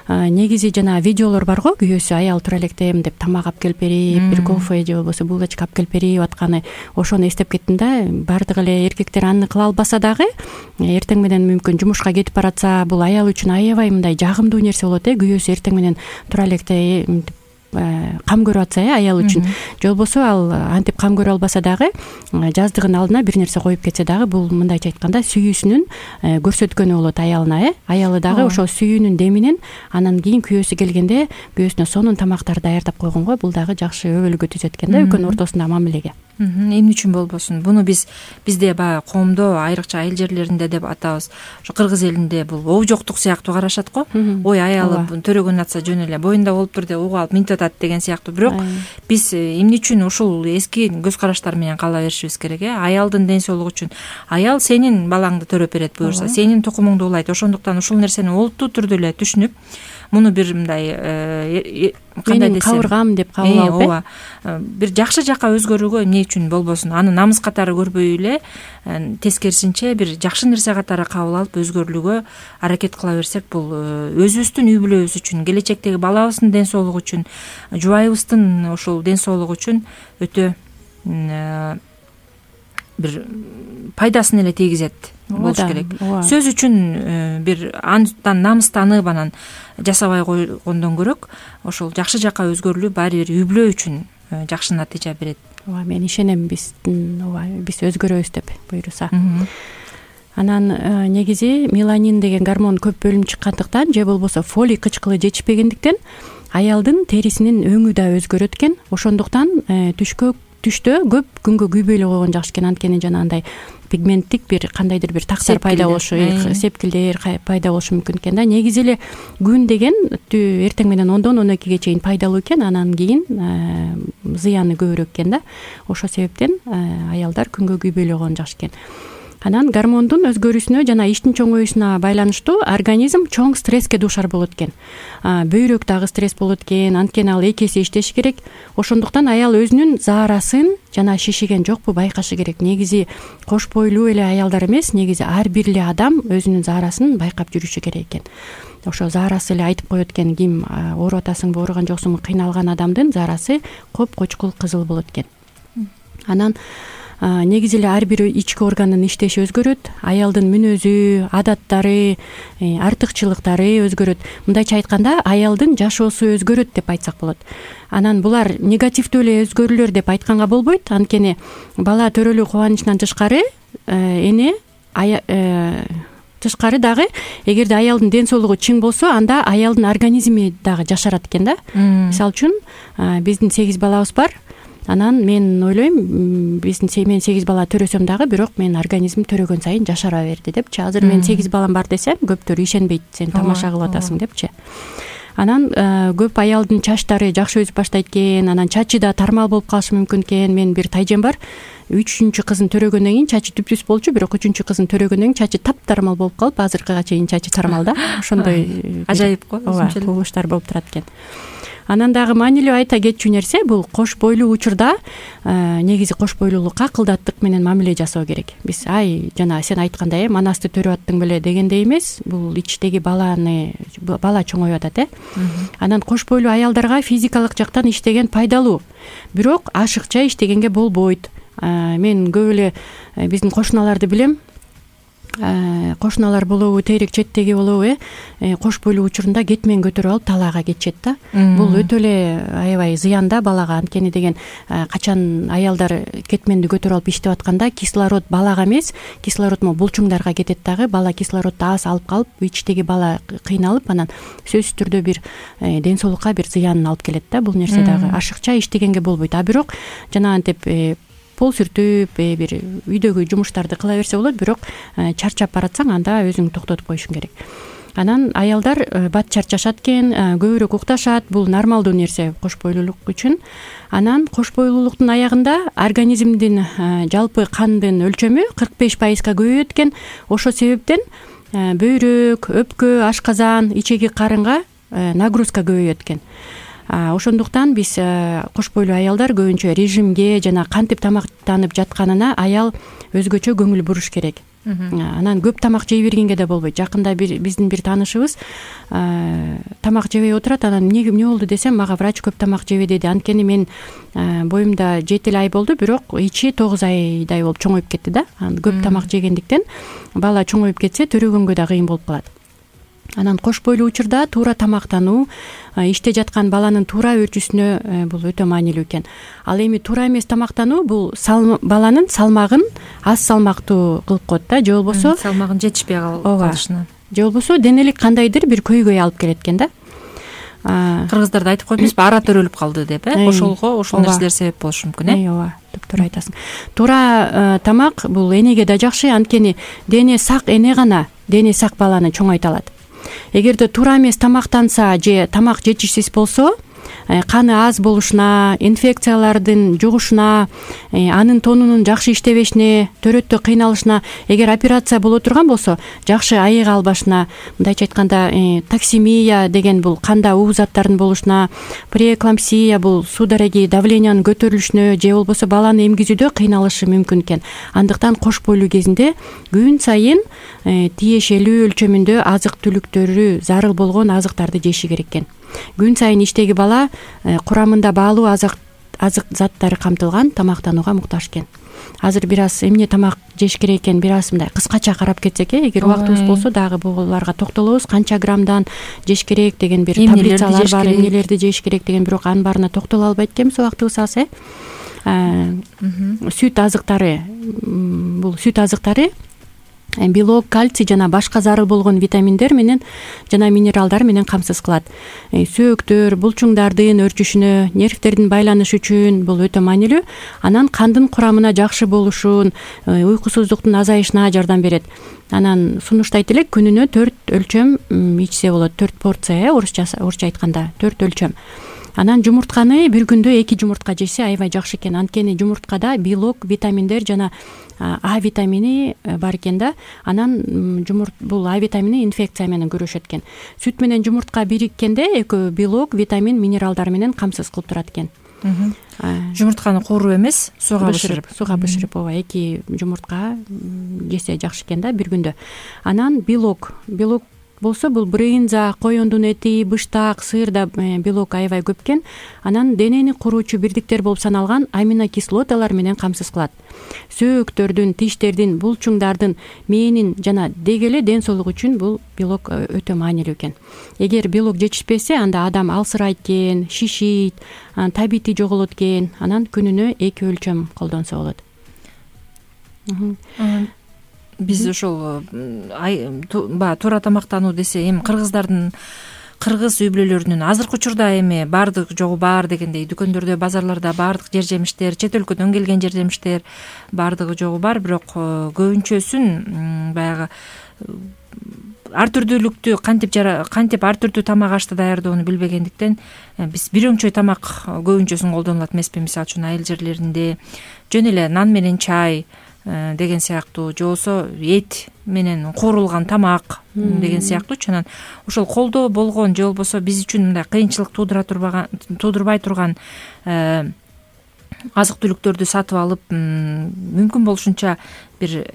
негизи жана видеолор бар го, күйөөсү аял тура электем деп тамак алып келип берип, бир кофе же болбосо булочка алып келип берип атканы, ошону эстеп кеттим да. Бардык эле эркектер аны кыла албаса дагы эртең менен мүмкүн жумушка кетип баратса, бул аял үчүн аябай мындай жагымдуу нерсе болот, э? Күйөөсү эртең менен тура электе кам көрүп атса, э, аял үчүн. Же болбосо ал антип кам көрө албаса дагы жаздыгын алдына бир нерсе коюп кетсе дагы, бул мындайча айтканда сүйүүсүнүн көрсөткөнү болот аялына, э? Аялы дагы ошол сүйүүнүн деминен анан кийин күйөөсү келгенде күйөөсүнө сонун тамактарды даярдап койгонго бул дагы жакшы өбөлгө түзөт экен да, экөөнүн ортосундагы мамилеге. Эмне үчүн болбосун? Буну биз бизде баягы коомдо айрыкча айыл жерлеринде деп атабыз. Ошо кыргыз элинде бул оо жоктук сыяктуу карашат го. Ой, аялы төрөгөн атса жөн эле боюнда болуптур деп угуп алып минтип атат деген сыяктуу. Бирок биз эмне үчүн ушул эски көз караштар менен кала беришибиз керек, э? Аялдын ден соолугу үчүн. Аял сенин балаңды төрөп берет буюрса, сенин тукумуңду улайт. Ошондуктан ушул нерсени олуттуу түрдө эле түшүнүп, муну бир мындай кандай десем, кабыргам деп кабыл алып, ооба, бир жакшы жакка өзгөрүүгө эмне үчүн болбосун? Аны намыс катары көрбөй эле, тескерисинче бир жакшы нерсе катары кабыл алып өзгөрүлүүгө аракет кыла берсек, бул өзүбүздүн үй бүлөбүз үчүн, келечектеги балабыздын ден соолугу үчүн, жубайыбыздын ошол ден соолугу үчүн өтө бир пайдасын эле тийгизет болуш керек. Сөз үчүн бир андан намыстанып анан жасабай койгондон көрөк, ошол жакшы жакка өзгөрүлүү баары бир үй бүлө үчүн жакшы натыйжа берет. Ооба, мен ишенем биз ооба биз өзгөрөбүз деп буюрса. Анан негизи меланин деген гормон көп бөлүнүп чыккандыктан же болбосо фолий кычкылы жетишпегендиктен аялдын терисинин өңү да өзгөрөт экен. Ошондуктан түшкө түштө көп күнгө күйбөй эле койгон жакшы экен. Анткени жанагындай пигменттик бир кандайдыр бир тактар пайда болушу, сепкилдер пайда болушу мүмкүн экен да. Негизи эле күн деген эртең менен ондон он экиге чейин пайдалуу экен, анан кийин зыяны көбүрөөк экен да. Ошол себептен аялдар күнгө күйбөй эле койгон жакшы экен. Анан гормондун өзгөрүүсүнө жана иштин чоңоюшуна байланыштуу организм чоң стресске дуушар болот экен. Бөйрөк дагы стресс болот экен, анткени ал эки эсе иштеши керек. Ошондуктан аял өзүнүн заарасын жана шишиген жокпу байкашы керек. Негизи кош бойлуу эле аялдар эмес, негизи ар бир эле адам өзүнүн заарасын байкап жүрүшү керек экен. Ошо заарасы эле айтып коет экен, ким ооруп атасыңбы, ооруган жоксуңбу, кыйналган адамдын заарасы коп-кочкул кызыл болот экен. Анан негизи эле ар бир ички органдын иштеши өзгөрөт, аялдын мүнөзү, адаттары, артыкчылыктары өзгөрөт. Мындайча айтканда, аялдын жашоосу өзгөрөт деп айтсак болот. Анан булар негативдүү эле өзгөрүүлөр деп айтканга болбойт, анткени бала төрөлүү кубанычынан тышкары эне тышкары дагы эгерде аялдын ден соолугу чың болсо, анда аялдын организми дагы жашарат экен да. Мисалы үчүн биздин сегиз балабыз бар. Анан мен ойлойм, биздин мен сегиз бала төрөсөм дагы, бирок менин организмим төрөгөн сайын жашара берди депчи. Азыр мен сегиз балам бар десем, көптөр ишенбейт, сен тамаша кылып атасың депчи. Анан көп аялдын чачтары жакшы өсүп баштайт экен, анан чачы да тармал болуп калышы мүмкүн экен. Менин бир тайжем бар. үчүнчү кызын төрөгөндөн кийин чачы түп-түз болчу, бирок үчүнчү кызын төрөгөндөн кийин чачы таптармал болуп калып, азыркыга чейин чачы тармал да. Ошондой ажайып го, өзүнчө кубулуштар болуп турат экен. Анан дагы маанилүү айта кетчү нерсе, бул кош бойлуу учурда негизи кош бойлуулукка акылдаттык менен мамиле жасоо керек. Биз ай жана сен айткандай, манасты төрүп аттың беле дегендей эмес, бул ичтеги баланы бала чоңоюп атат э. Анан кош бойлуу аялдарга физикалык жактан иштеген пайдалуу, бирок ашыкча иштегенге болбойт. Мен көп эле биздин кошуналарды билем. Кошуналар болобу, тейрек четтеги болобу, э кош бойлуу учурунда кетмен көтөрүп алып талаага кетишет да. Бул өтө эле аябай зыян да балага, анткени деген качан аялдар кетменди көтөрүп алып иштеп атканда кислород балага эмес, кислород мо булчуңдарга кетет дагы. Бала кислородду аз алып калып, ичтеги бала кыйналып, анан сөзсүз түрдө бир ден соолукка бир зыянын алып келет да. Бул нерсе дагы ашыкча иштегенге болбойт. А бирок жанагынтип пол сүртүп, бир үйдөгү жумуштарды кыла берсе болот, бирок чарчап баратсаң, анда өзүң токтотуп коюшуң керек. Анан аялдар бат чарчашат экен, көбүрөөк укташат. Бул нормалдуу нерсе кош бойлуулук үчүн. Анан кош бойлуулуктун аягында организмдин жалпы кандын өлчөмү кырк беш пайызга көбөйөт экен. Ошол себептен бөйрөк, өпкө, ашказан, ичеги карынга нагрузка көбөйөт экен. Ошондуктан биз кош бойлуу аялдар көбүнчө режимге жана кантип тамактанып жатканына аял өзгөчө көңүл буруш керек. Анан көп тамак жей бергенге да болбойт. Жакында биздин бир таанышыбыз тамак жебей отурат. Анан эмне эмне болду десем, мага врач көп тамак жебе деди. Анткени мен боюмда жети эле ай болду, бирок ичи тогуз айдай болуп чоңоюп кетти да. Көп тамак жегендиктен бала чоңоюп кетсе, төрөгөнгө да кыйын болуп калат. Анан кош бойлуу учурда туура тамактануу, иште жаткан баланын туура өрчүсүнө бул өтө маанилүү экен. Ал эми туура эмес тамактануу бул баланын салмагын аз салмактуу кылып коет да, же болбосо салмагын жетишпей калышына, же болбосо денелик кандайдыр бир көйгөй алып келет экен да. Кыргыздарда айтып коет эмеспи, ара төрөлүп калды деп, э? Ошолго ошол нерселер себеп болушу мүмкүн, э? Ооба, топтор айтасың. Туура тамак бул энеге да жакшы, анткени дене сак эне гана дене сак баланы чоңойто алат. Эгерде туура эмес тамактанса же тамак жетишсиз болсо, каны аз болушуна, инфекциялардын жугушуна, анын тонунун жакшы иштебешине, төрөттө кыйналышына, эгер операция боло турган болсо, жакшы айыга албашына, мындайча айтканда токсемия деген бул канда уу заттардын болушуна, преэклампсия бул суу дареги давлениянын көтөрүлүшүнө же болбосо баланы эмгизүүдө кыйналышы мүмкүн экен. Андыктан кош бойлуу кезинде күн сайын тиешелүү өлчөмүндө азык түлүктөрү, зарыл болгон азыктарды жеши керек экен. Күн сайын иштеги бала курамында баалуу азык азык заттары камтылган тамактанууга муктаж экен. Азыр бир аз эмне тамак жеш керек экен, бир аз мындай кыскача карап кетсек, эгер убактыбыз болсо дагы буларга токтолобуз. Канча граммдан жеш керек деген бир таблицалар бар, эмнелерди жеш керек деген, бирок анын баарына токтоло албайт экенбиз убактыбыз аз, э. Сүт азыктары, бул сүт азыктары белок, кальций жана башка зарыл болгон витаминдер менен жана минералдар менен камсыз кылат. Сөөктөр, булчуңдардын өрчүшүнө, нервтердин байланышы үчүн бул өтө маанилүү. Анан кандын курамына жакшы болушун, уйкусуздуктун азайышына жардам берет. Анан сунуштайт элек, күнүнө төрт өлчөм ичсе болот, төрт порция, орусча орусча айтканда төрт өлчөм. Анан жумуртканы бир күндө эки жумуртка жесе аябай жакшы экен. Анткени жумурткада белок, витаминдер жана А витамини бар экен да. Анан жумурт бул А витамини инфекция менен күрөшөт экен. Сүт менен жумуртка бириккенде экөө белок, витамин, минералдар менен камсыз кылып турат экен. Жумуртканы кууруп эмес, сууга бышырып. Сууга бышырып, ооба, эки жумуртка жесе жакшы экен да бир күндө. Анан белок, белок болсо бул брынза, коюндун эти, быштак, сыырда белок аябай көп экен. Анан денени куруучу бирдиктер болуп саналган аминокислоталар менен камсыз кылат. Сөөктөрдүн, тиштердин, булчуңдардын, мээнин жана деги эле ден соолук үчүн бул белок өтө маанилүү экен. Эгер белок жетишпесе, анда адам алсырайт экен, шишийт, табити жоголот экен. Анан күнүнө эки өлчөм колдонсо болот. Биз ошол баягы туура тамактануу десе, эми кыргыздардын кыргыз үй-бүлөлөрүнүн азыркы учурда эми баардык жогу бар дегендей дүкөндөрдө, базарларда баардык жер жемиштер, чет өлкөдөн келген жер жемиштер баардыгы жогу бар, бирок көбүнчөсүн баягы ар түрдүүлүктү кантип кантип ар түрдүү тамак ашты даярдоону билбегендиктен биз бир өңчөй тамак көбүнчөсүн колдонулат эмеспи. Мисалы үчүн айыл жерлеринде жөн эле нан менен чай деген сыяктуу, же болбосо эт менен куурулган тамак деген сыяктуучу. Анан ошол колдоо болгон же болбосо биз үчүн мындай кыйынчылык туудура турбаган туудурбай турган азык түлүктөрдү сатып алып, мүмкүн болушунча бир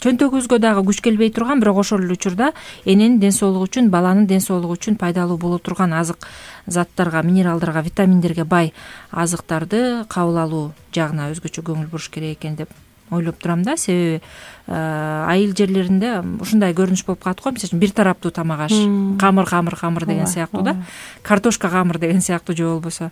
чөнтөгүбүзгө дагы күч келбей турган, бирок ошол эле учурда эненин ден соолугу үчүн, баланын ден соолугу үчүн пайдалуу боло турган азык заттарга, минералдарга, витаминдерге бай азыктарды кабыл алуу жагына өзгөчө көңүл буруш керек экен деп ойлоп турам да. Себеби айыл жерлеринде ушундай көрүнүш болуп калат го. Мисалы үчүн бир тараптуу тамак аш, камыр камыр камыр деген сыяктуу да, картошка камыр деген сыяктуу же болбосо.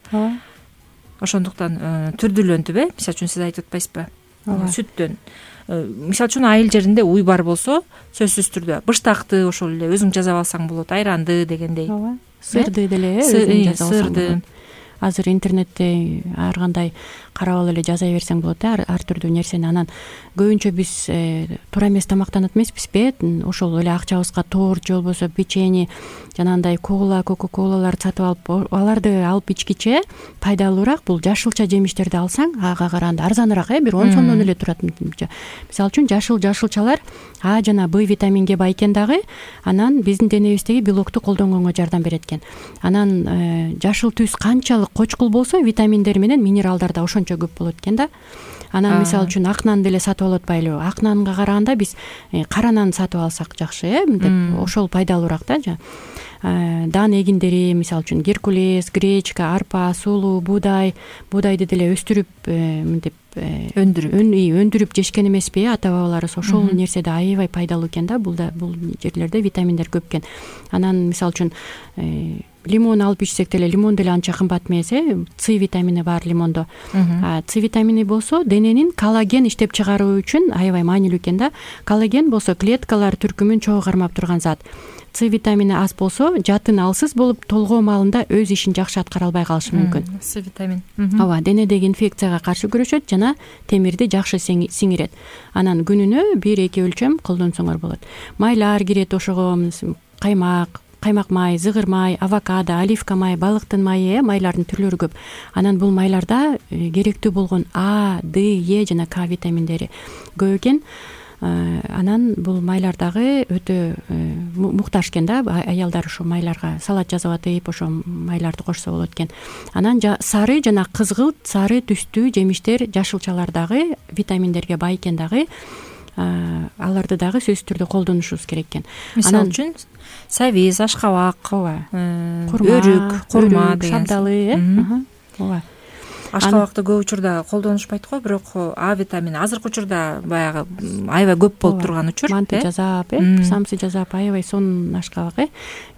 Ошондуктан түрдүүлөнтүп, э мисалы үчүн сиз айтып атпайсызбы, сүттөн. Мисалы үчүн айыл жеринде уй бар болсо, сөзсүз түрдө быштакты ошол эле өзүң жасап алсаң болот, айранды дегендей. Сырды деле өзүң жасап алсаң болот. Азыр интернетте ар кандай карап алып эле жаза берсең болот да, ар түрдүү нерсени. Анан көбүнчө биз туура эмес тамактанат эмеспизби? Ошол эле акчабызга торт же болбосо печенье, жанагындай кола, кока-колалар сатып алып, аларды алып ичкиче пайдалуураак бул жашылча жемиштерди алсаң, ага караганда арзаныраак, э бир он сомдон эле турат. Мисалы үчүн жашыл жашылчалар А жана Б витаминге бай экен дагы. Анан биздин денебиздеги белокту колдонгонго жардам берет экен. Анан жашыл түс канчалык кочкул болсо, витаминдер менен минералдар да ошончо көп болот экен да. Анан мисалы үчүн ак нан деле сатып алып атпайлыбы? Ак нанга караганда биз кара нан сатып алсак жакшы, э мынтип ошол пайдалуураак да. Дан эгиндери, мисалы үчүн геркулес, гречка, арпа, сулуу, буудай, буудайды деле өстүрүп мынтип өндүрүп өндүрүп жешкен эмеспи ата бабаларыбыз? Ошол нерседе аябай пайдалуу экен да. Бул да бул жерлерде витаминдер көп экен. Анан мисалы үчүн лимон алып ичсек деле, лимон деле анча кымбат эмес, э С витамини бар лимондо. С витамини болсо дененин коллаген иштеп чыгаруу үчүн аябай маанилүү экен да. Коллаген болсо клеткалар түркүмүн чогуу кармап турган зат. С витамини аз болсо жатын алсыз болуп толгоо маалында өз ишин жакшы аткара албай калышы мүмкүн. С витамин. Ооба, денедеги инфекцияга каршы күрөшөт жана темирди жакшы сиңирет. Анан күнүнө бир эки өлчөм колдонсоңор болот. Майлар кирет ошого, каймак, каймак май, зыгыр май, авокадо, оливка май, балыктын майы, майлардын түрлөрү көп. Анан бул майларда керектүү болгон А, Д, Е жана К витаминдери көп экен. Анан бул майлар дагы өтө муктаж экен да. Аялдар ошо майларга салат жасап атып, ошо майларды кошсо болот экен. Анан сары жана кызгылт, сары түстүү жемиштер, жашылчалар дагы витаминдерге бай экен дагы. Аларды дагы сөзсүз түрдө колдонушубуз керек экен. Мисалы үчүн сабиз, ашкабак, өрүк, курма деген шабдалы, э ооба. Ашкабакты көп учурда колдонушпайт го, бирок А витамини азыркы учурда баягы аябай көп болуп турган учур. Манты жасап, э самсы жасап аябай сонун ашкабак, э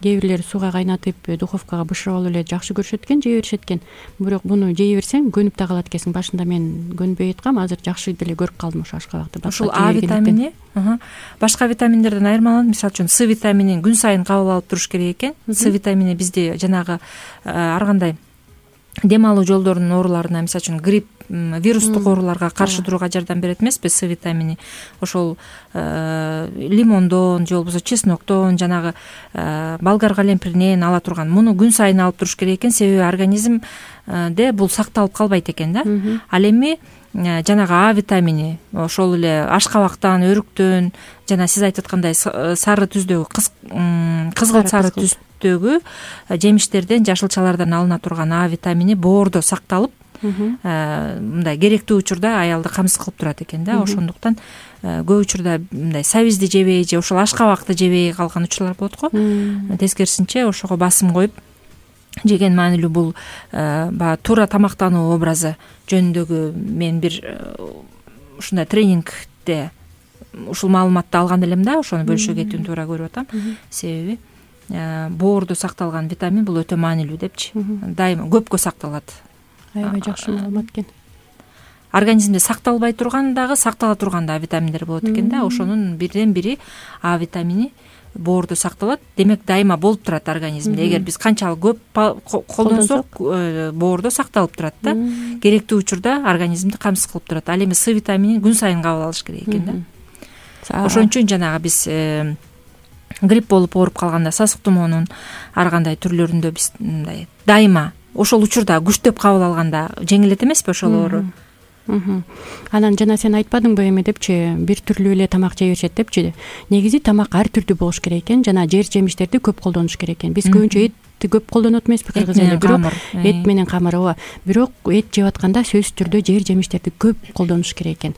кээ бирлер сууга кайнатып духовкага бышырып алып эле жакшы көрүшөт экен, жей беришет экен. Бирок буну жей берсең көнүп да калат экенсиң. Башында мен көнбөй аткам, азыр жакшы деле көрүп калдым ошо ашкабакты. Ошол А витамини башка витаминдерден айырмаланат. Мисалы үчүн С витаминин күн сайын кабыл алып туруш керек экен. С витамини бизде жанагы ар кандай дем алуу жолдорунун ооруларына, мисалы үчүн грипп вирустук ооруларга каршы турууга жардам берет эмеспи С витамини. Ошол лимондон же болбосо чесноктон, жанагы болгар калемпиринен ала турган муну күн сайын алып туруш керек экен, себеби организмде бул сакталып калбайт экен да. Ал эми жанагы А витамини ошол эле ашкабактан, өрүктөн, жана сиз айтып аткандай сары түздөгү, кызгылт сары түстөгү жемиштерден, жашылчалардан алына турган А витамини боордо сакталып, мындай керектүү учурда аялды камсыз кылып турат экен да. Ошондуктан көп учурда мындай сабизди жебей же ошол ашкабакты жебей калган учурлар болот го. Тескерисинче ошого басым коюп жеген маанилүү бул баягы туура тамактануу образы жөнүндөгү мен бир ушундай тренингде ушул маалыматты алган элем да, ошону бөлүшө кетүүнү туура көрүп атам. Себеби боордо сакталган витамин бул өтө маанилүү депчи. Дайыма көпкө сакталат. Аябай жакшы маалымат экен. Организмде сакталбай турган дагы, сактала турган дагы витаминдер болот экен да. Ошонун бирден бири А витамини боордо сакталат. Демек дайыма болуп турат организмде. Эгер биз канчалык көп колдонсок, боордо сакталып турат да. Керектүү учурда организмди камсыз кылып турат. Ал эми С витаминин күн сайын кабыл алыш керек экен да. Ошон үчүн жанагы биз грипп болуп ооруп калганда, сасык тумоонун ар кандай түрлөрүндө биз мындай дайыма ошол учурда күчтөп кабыл алганда жеңилет эмеспи ошол оору. Анан жана сен айтпадыңбы эми депчи, бир түрлүү эле тамак жей беришет депчи. Негизи тамак ар түрдүү болуш керек экен, жана жер жемиштерди көп колдонуш керек экен. Биз көбүнчө этти көп колдонот эмеспи кыргыз эле, бирок эт менен камыр, ооба. Бирок эт жеп атканда сөзсүз түрдө жер жемиштерди көп колдонуш керек экен.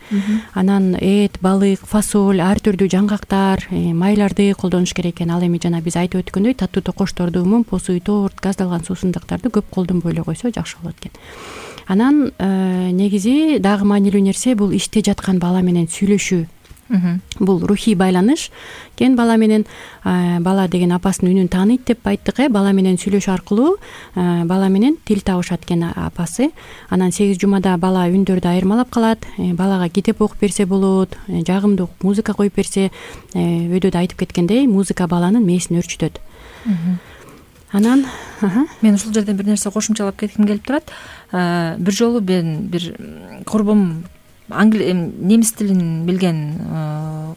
Анан эт, балык, фасоль, ар түрдүү жаңгактар, майларды колдонуш керек экен. Ал эми жана биз айтып өткөндөй таттуу токочторду, мумпусуй, торт, газдалган суусундуктарды көп колдонбой эле койсо жакшы болот экен. Анан негизи дагы маанилүү нерсе бул ичте жаткан бала менен сүйлөшүү. Бул рухий байланыш. Кен бала менен бала деген апасынын үнүн тааныйт деп айттык э. Бала менен сүйлөшүү аркылуу бала менен тил табышат экен апасы. Анан сегиз жумада бала үндөрдү айырмалап калат. Балага китеп окуп берсе болот, жагымдуу музыка коюп берсе, өйдөдө айтып кеткендей, музыка баланын мээсин өрчүтөт. Анан мен ушул жерден бир нерсе кошумчалап кетким келип турат. Бир жолу мен бир курбум, немис тилин билген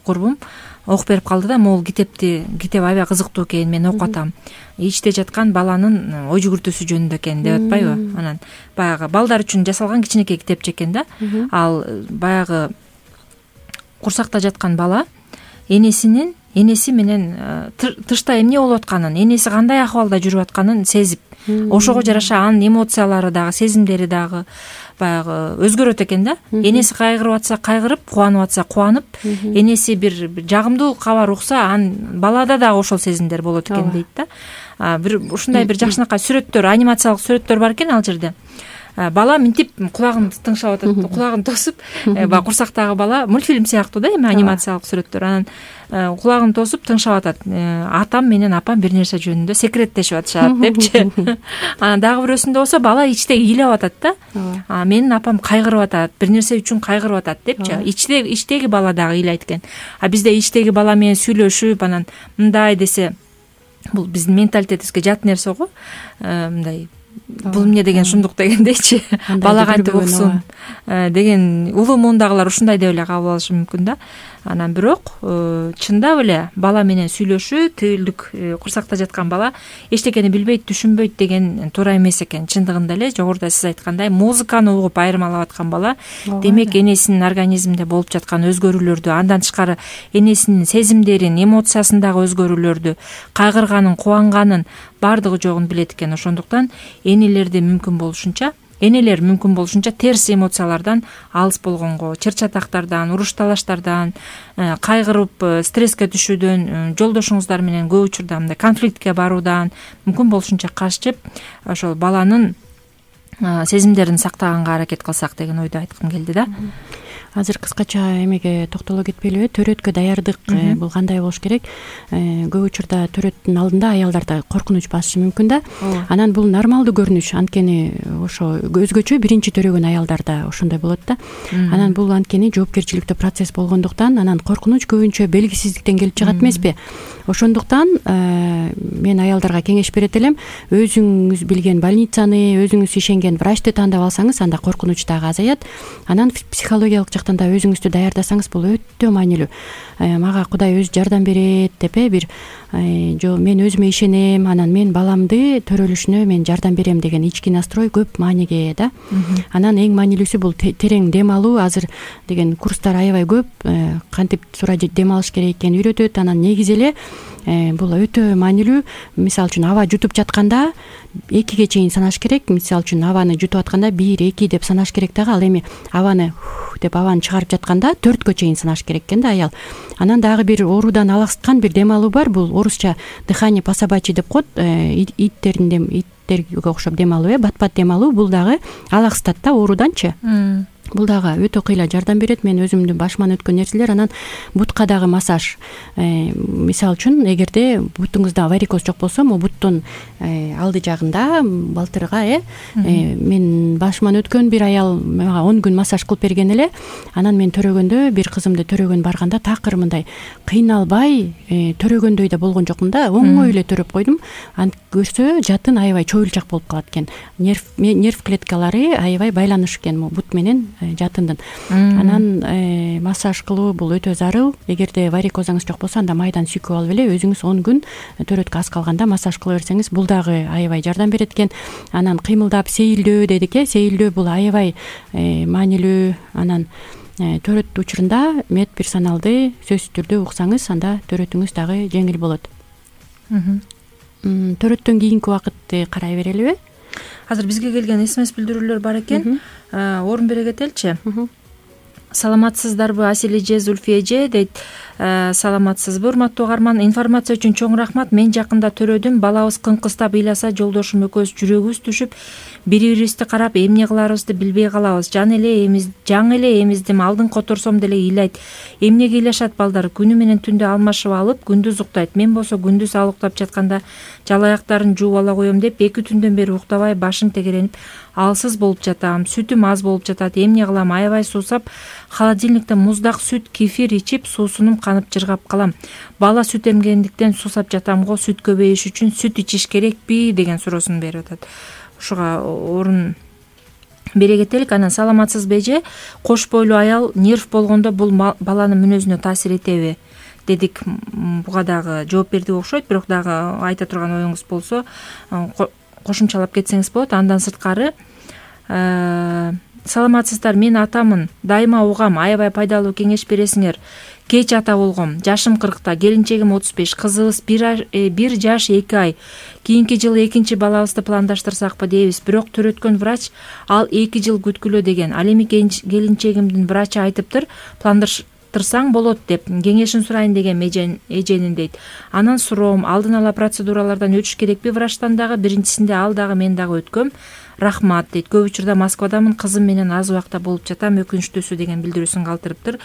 курбум окуп берип калды да, могул китепти, китеп аябай кызыктуу экен, мен окуп атам. Ичте жаткан баланын ой жүгүртүүсү жөнүндө экен деп атпайбы? Анан баягы балдар үчүн жасалган кичинекей китепче экен да. Ал баягы курсакта жаткан бала энесинин энеси менен тышта эмне болуп атканын, энеси кандай акыбалда жүрүп атканын сезип, ошого жараша анын эмоциялары дагы, сезимдери дагы баягы өзгөрөт экен да. Энеси кайгырып атса кайгырып, кубанып атса кубанып, энеси бир жагымдуу кабар укса, анын балада дагы ошол сезимдер болот экен дейт да. Бир ушундай бир жакшынакай сүрөттөр, анимациялык сүрөттөр бар экен ал жерде. Бала минтип кулагын тыңшап атат, кулагын тосуп, баягы курсактагы бала мультфильм сыяктуу да, эми анимациялык сүрөттөр. Анан кулагын тосуп тыңшап атат. Атам менен апам бир нерсе жөнүндө секреттешип атышат депчи. Анан дагы бирөөсүндө болсо бала ичте ыйлап атат да. Менин апам кайгырып атат, бир нерсе үчүн кайгырып атат депчи. Ичте ичтеги бала дагы ыйлайт экен. А бизде ичтеги бала менен сүйлөшүп, анан мындай десе, бул биздин менталитетибизге жат нерсе го. Мындай бул эмне деген шундук дегендейчи, бала кантип уксун деген улуу муундагылар ушундай деп эле кабыл алышы мүмкүн да. Анан бирок чындап эле бала менен сүйлөшүү, тилдик курсакта жаткан бала эчтекени билбейт, түшүнбөйт деген туура эмес экен. Чындыгында эле жогоруда сиз айткандай музыканы угуп айырмалап аткан бала, демек энесинин организминде болуп жаткан өзгөрүүлөрдү, андан тышкары энесинин сезимдерин, эмоциясындагы өзгөрүүлөрдү, кайгырганын, кубанганын баардыгы жогун билет экен. Ошондуктан энелерди мүмкүн болушунча Энелер мүмкүн болушунча терс эмоциялардан алыс болгонго, чыр-чатактардан, уруш талаштардан, кайгырып, стресске түшүүдөн, жолдошуңуздар менен көп учурда мындай конфликтке баруудан мүмкүн болушунча качып, ошол баланын сезимдерин сактаганга аракет кылсак деген ойду айткым келди да. азыр кыскача эмеге токтоло кетпейлиби, төрөткө даярдык бул кандай болуш керек? Көп учурда төрөттүн алдында аялдарда коркунуч басышы мүмкүн да. Анан бул нормалдуу көрүнүш, анткени ошо өзгөчө биринчи төрөгөн аялдарда ошондой болот да. Анан бул анткени жоопкерчиликтүү процесс болгондуктан, анан коркунуч көбүнчө белгисиздиктен келип чыгат эмеспи? Ошондуктан мен аялдарга кеңеш берет элем, өзүңүз билген больницаны, өзүңүз ишенген врачты тандап алсаңыз, анда коркунуч дагы азаят. Анан психологиялык жактан да өзүңүздү даярдасаңыз бул өтө маанилүү. Мага Кудай өзү жардам берет деп э бир жо мен өзүмө ишенем, анан мен баламды төрөлүшүнө мен жардам берем деген ички настрой көп мааниге ээ да. Анан эң маанилүүсү бул терең дем алуу. Азыр деген курстар аябай көп, кантип туура дем алыш керек экенин үйрөтөт. Анан негизи эле бул өтө маанилүү. Мисалы үчүн аба жутуп жатканда экиге чейин санаш керек. Мисалы үчүн абаны жутуп атканда бир, эки деп санаш керек дагы. Ал эми абаны деп абаны чыгарып жатканда төрткө чейин санаш керек экен да аял. Анан дагы бир оорудан алаксыткан бир дем алуу бар. Бул орусча дыхание по-собачьи деп коет. Иттердин дем, иттерге окшоп дем алуу э, бат-бат дем алуу. Бул дагы алаксытат да ооруданчы. Бул дагы өтө кыйла жардам берет. Мен өзүмдүн башыман өткөн нерселер. Анан бутка дагы массаж. Мисалы үчүн эгерде бутуңузда варикоз жок болсо, могу буттун алды жагында балтырга э мен башыман өткөн бир аял мага он күн массаж кылып берген эле. Анан мен төрөгөндө, бир кызымды төрөгөн барганда такыр мындай кыйналбай төрөгөндөй да болгон жокмун да. Оңой эле төрөп койдум. Антип көрсө жатын аябай чоюлчак болуп калат экен. Нерв нерв клеткалары аябай байланыш экен могу бут менен жатындын. Анан массаж кылуу бул өтө зарыл. Эгерде варикозуңуз жок болсо, анда майдан сүйкүп алып эле өзүңүз он күн төрөткө аз калганда массаж кыла берсеңиз, бул дагы аябай жардам берет экен. Анан кыймылдап сейилдөө дедик э, сейилдөө бул аябай маанилүү. Анан төрөт учурунда медперсоналды сөзсүз түрдө уксаңыз, анда төрөтүңүз дагы жеңил болот. Төрөттөн кийинки убакытты карай берелиби? Азыр бизге келген смс билдирүүлөр бар экен. Орун бере кетеличи. Саламатсыздарбы Асил эже, Зульфия эже дейт. Саламатсызбы урматтуу угарман? Информация үчүн чоң рахмат. Мен жакында төрөдүм. Балабыз кыңкыстап ыйласа, жолдошум экөөбүз жүрөгүбүз түшүп, бири-бирибизди карап эмне кыларыбызды билбей калабыз. Жан эле эмиз, жаң эле эмиздим, алдын которсом деле ыйлайт. Эмнеге ыйлашат балдар? Күнү менен түндү алмашып алып, күндүз уктайт. Мен болсо күндүз ал уктап жатканда жалаяктарын жууп ала коем деп эки түндөн бери уктабай башым тегеренип алсыз болуп жатам. Сүтүм аз болуп жатат. Эмне кылам? Аябай суусап, холодильниктен муздак сүт, кефир ичип, суусунум канып жыргап калам. Бала сүт эмгендиктен суусап жатам го. Сүт көбөйүш үчүн сүт ичиш керекпи деген суроосун берип атат. Ушуга орун бере кетелик. Анан саламатсызбы эже? Кош бойлуу аял нерв болгондо бул баланын мүнөзүнө таасир этеби дедик. Буга дагы жооп берди окшойт, бирок дагы айта турган оюңуз болсо кошумчалап кетсеңиз болот. Андан сырткары саламатсыздар, мен атамын, дайыма угам, аябай пайдалуу кеңеш бересиңер. Кеч ата болгом, жашым кыркта, келинчегим отуз беш, кызыбыз бир жаш эки ай. Кийинки жылы экинчи балабызды пландаштырсакпы дейбиз, бирок төрөткөн врач ал эки жыл күткүлө деген. Ал эми келинчегимдин врачы айтыптыр, пландаштырсаң болот деп. Кеңешин сурайын деген эженин дейт. Анан суроом, алдын ала процедуралардан өтүш керекпи врачтан дагы? Биринчисинде ал дагы мен дагы өткөм. Рахмат дейт. Көп учурда Москвадамын, кызым менен аз убакта болуп жатам, өкүнүчтүүсү деген билдирүүсүн калтырыптыр.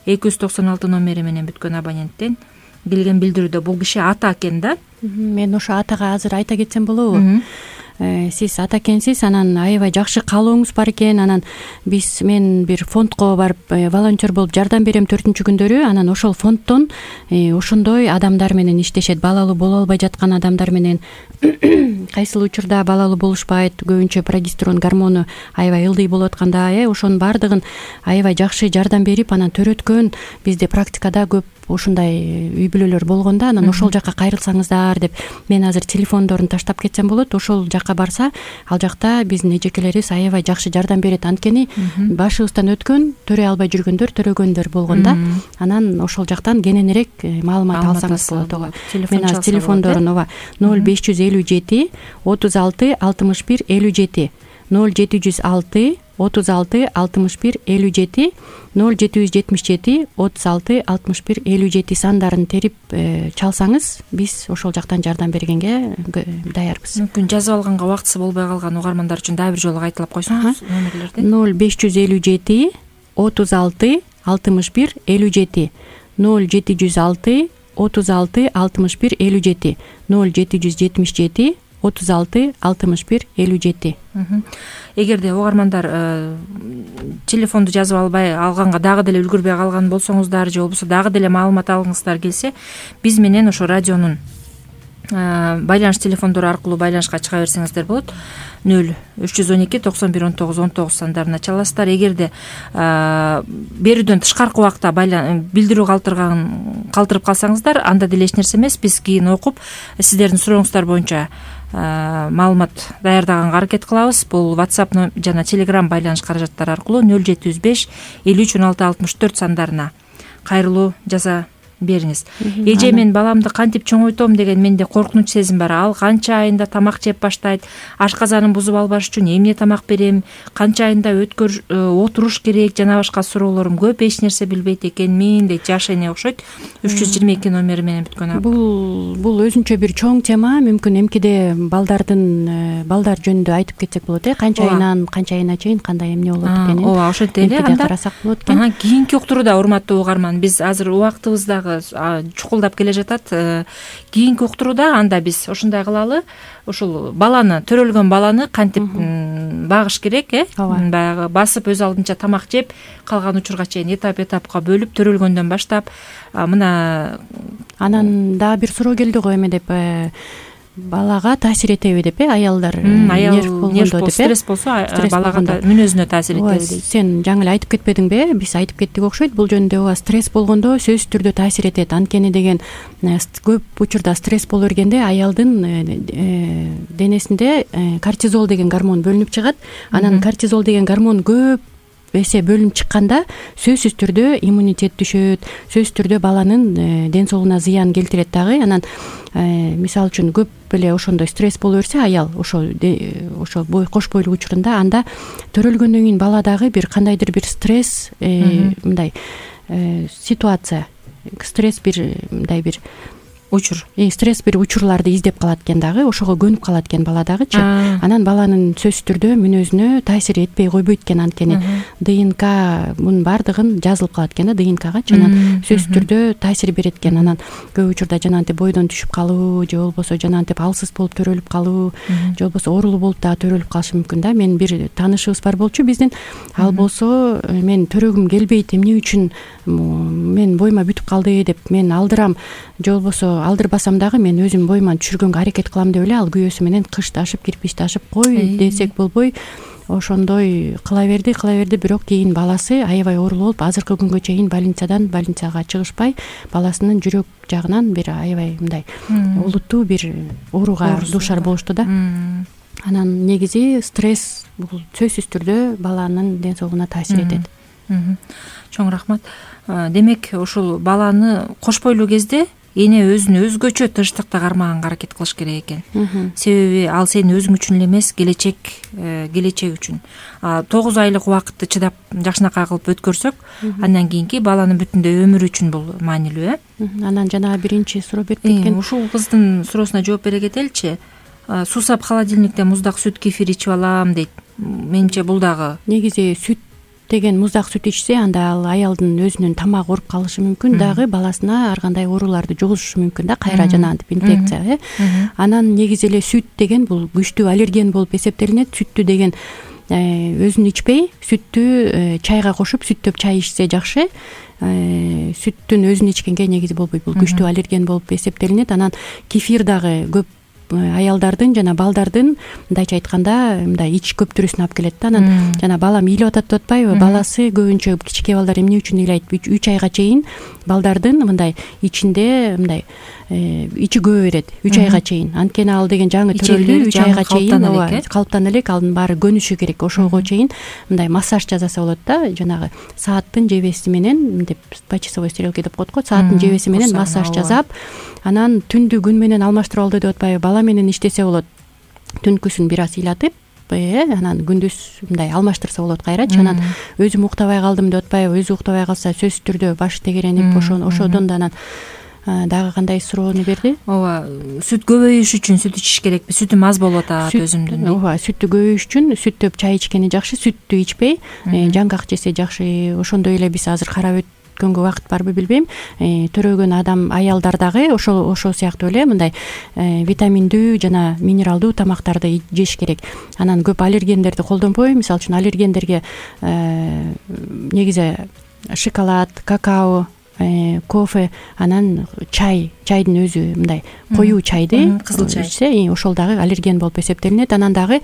эки жүз токсон алты номери менен бүткөн абоненттен келген билдирүүдө. Бул киши ата экен да. Мен ошо атага азыр айта кетсем болобу? Сиз ата экенсиз, анан аябай жакшы каалооңуз бар экен. Анан биз мен бир фондко барып волонтер болуп жардам берем төртүнчү күндөрү. Анан ошол фонддон ошондой адамдар менен иштешет. Балалуу боло албай жаткан адамдар менен, кайсыл учурда балалуу болушпайт, көбүнчө прогестерон гормону аябай ылдый болуп атканда, э ошонун баардыгын аябай жакшы жардам берип, анан төрөткөн бизде практикада көп ушундай үй бүлөлөр болгондо, анан ошол жакка кайрылсаңыздар деп мен азыр телефондорун таштап кетсем болот. Ошол жакка барса, ал жакта биздин эжекелерибиз аябай жакшы жардам берет. Анткени башыбыздан өткөн, төрөй албай жүргөндөр, төрөгөндөр болгон да. Анан ошол жактан кененирээк маалымат алсаңыз болот. Ого. Мен азыр телефондорун ооба ноль беш жүз элүү жети отуз алты алтымыш бир элүү жети, ноль жети жүз алты отуз алты алтымыш бир элүү жети, ноль жети жүз жетимиш жети отуз алты алтымыш бир элүү жети сандарын терип чалсаңыз, биз ошол жактан жардам бергенге даярбыз. Мүмкүн жазып алганга убактысы болбой калган угармандар үчүн дагы бир жолу кайталап койсоңуз номерлерди. ноль беш жүз элүү жети отуз алты алтымыш бир элүү жети ноль жети жүз алты отуз алты алтымыш бир элүү жети ноль жети жүз жетимиш жети отуз алты алтымыш бир элүү жети. Эгерде угармандар телефонду жазып албай алганга дагы деле үлгүрбөй калган болсоңуздар же болбосо дагы деле маалымат алгыңыздар келсе, биз менен ошо радионун байланыш телефондору аркылуу байланышка чыга берсеңиздер болот. ноль үч жүз он эки токсон бир он тогуз он тогуз сандарына чаласыздар. Эгерде берүүдөн тышкаркы убакта билдирүү калтырган калтырып калсаңыздар, анда деле эч нерсе эмес. Биз кийин окуп сиздердин сурооңуздар боюнча маалымат даярдаганга аракет кылабыз. Бул WhatsApp жана Telegram байланыш каражаттары аркылуу ноль жети жүз беш элүү үч он алты алтымыш төрт сандарына кайрылуу жаза бериңиз. Эже, мен баламды кантип чоңойтом деген менде коркунуч сезим бар. Ал канча айында тамак жеп баштайт. Ашказанын бузуп албаш үчүн эмне тамак берем? Канча айында өткөр отуруш керек? Жана башка суроолорум көп. Эч нерсе билбейт экенмин дейт. Жаш эне окшойт. үч жүз жыйырма эки номери менен бүткөн. Бул бул өзүнчө бир чоң тема. Мүмкүн эмкиде балдардын балдар жөнүндө айтып кетсек болот, э? Канча айынан канча айына чейин кандай эмне болот экенин. Ооба, ошентип эле анда карасак болот экен. Кийинки уктурууда, урматтуу угарман, биз азыр убактыбызда чукулдап келе жатат. Кийинки уктурууда анда биз ушундай кылалы. Ушул баланы, төрөлгөн баланы кантип багыш керек, э? Баягы басып өз алдынча тамак жеп калган учурга чейин этап этапка бөлүп, төрөлгөндөн баштап мына анан дагы бир суроо келди го, эме деп, балага таасир этеби деп, э? Аялдар нерв болгондо деп, стресс болсо балага да мүнөзүнө таасир этеби дейт. Сен жаңы эле айтып кетпедиңби? Биз айтып кеттик окшойт. Бул жөнүндө ооба, стресс болгондо сөзсүз түрдө таасир этет. Анткени деген көп учурда стресс боло бергенде аялдын денесинде кортизол деген гормон бөлүнүп чыгат. Анан кортизол деген гормон көп эсе бөлүнүп чыкканда сөзсүз түрдө иммунитет түшөт, сөзсүз түрдө баланын ден соолугуна зыян келтирет дагы. Анан мисалы үчүн көп эле ошондой стресс боло берсе аял ошо ошо кош бойлук учурунда, анда төрөлгөндөн кийин бала дагы бир кандайдыр бир стресс мындай ситуация, стресс бир мындай бир учур, стресс бир учурларды издеп калат экен дагы, ошого көнүп калат экен бала дагычы. Анан баланын сөзсүз түрдө мүнөзүнө таасир этпей койбойт экен. Анткени ДНК мунун баардыгын жазылып калат экен да ДНКгачы. Анан сөзсүз түрдө таасир берет экен. Анан көп учурда жанагынтип бойдон түшүп калуу же болбосо жанагынтип алсыз болуп төрөлүп калуу же болбосо оорулуу болуп дагы төрөлүп калышы мүмкүн да. Мен бир таанышыбыз бар болчу биздин. Ал болсо мен төрөгүм келбейт, эмне үчүн мен боюма бүтүп калды деп мен алдырам же болбосо алдырбасам дагы мен өзүм боюма түшүргөнгө аракет кылам деп эле ал күйөөсү менен кыш ташып, кирпич ташып кой десек болбой ошондой кыла берди, кыла берди. Бирок кийин баласы аябай оорулуу болуп, азыркы күнгө чейин больницадан больницага чыгышпай, баласынын жүрөк жагынан бир аябай мындай олуттуу бир ооруга дуушар болушту да. Анан негизи стресс бул сөзсүз түрдө баланын ден соолугуна таасир этет. Чоң рахмат. Демек, ушул баланы кош бойлуу кезде эне өзүн өзгөчө тынчтыкта кармаганга аракет кылыш керек экен. Себеби ал сенин өзүң үчүн эле эмес, келечек келечек үчүн. тогуз айлык убакытты чыдап жакшынакай кылып өткөрсөк, андан кийинки баланын бүтүндөй өмүрү үчүн бул маанилүү, э? Анан жана биринчи суроо берип кеткен. Ушул кыздын суроосуна жооп бере кетеличи. Суусап холодильникте муздак сүт, кефир ичип алам дейт. Менимче бул дагы негизи сүт деген муздак сүт ичсе, анда ал аялдын өзүнүн тамагы ооруп калышы мүмкүн, дагы баласына ар кандай ооруларды жугузушу мүмкүн да, кайра жанагынтип инфекция, э? Анан негизи эле сүт деген бул күчтүү аллерген болуп эсептелинет. Сүттү деген өзүн ичпей, сүттү чайга кошуп, сүттөп чай ичсе жакшы. Сүттүн өзүн ичкенге негизи болбойт, бул күчтүү аллерген болуп эсептелинет. Анан кефир дагы көп аялдардын жана балдардын мындайча айтканда мындай ич көптүрүүсүнө алып келет да. Анан жана балам ыйлап атат деп атпайбы? Баласы көбүнчө кичинекей балдар эмне үчүн ыйлайт? үч айга чейин балдардын мындай ичинде мындай ичи көбө берет үч айга чейин. Анткени ал деген жаңы төрөлдү, үч айга чейин калыптана элек, анын баары көнүшү керек. Ошого чейин мындай массаж жасаса болот да, жанагы сааттын жебеси менен деп, почасовой стрелки деп коет го, сааттын жебеси менен массаж жасап, анан түндү күн менен алмаштырып алды деп атпайбы? Бала менен иштесе болот. Түнкүсүн бир аз ыйлатып, анан күндүз мындай алмаштырса болот кайрачы. Анан өзүм уктабай калдым деп атпайбы? Өзү уктабай калса сөзсүз түрдө башы тегеренип, ошодон да анан дагы кандай суроону берди? ооба, сүт көбөйүш үчүн сүт ичиш керекпи? Сүтү маз болуп атат өзүмдүн. ооба, сүттү көбөйүш үчүн сүт төп чай ичкени жакшы, сүттү ичпей жаңгак жесе жакшы. Ошондой эле биз азыр карап өткөнгө убакыт барбы билбейм, төрөгөн адам аялдар дагы ошол ошол сыяктуу эле мындай витаминдүү жана минералдуу тамактарды жеш керек. Анан көп аллергендерди колдонбой, мисалы үчүн аллергендерге негизи шоколад, какао, кофе, анан чай, чайдын өзү мындай коюу чайды кызыл чай ичсе, ошол дагы аллерген болуп эсептелинет. Анан дагы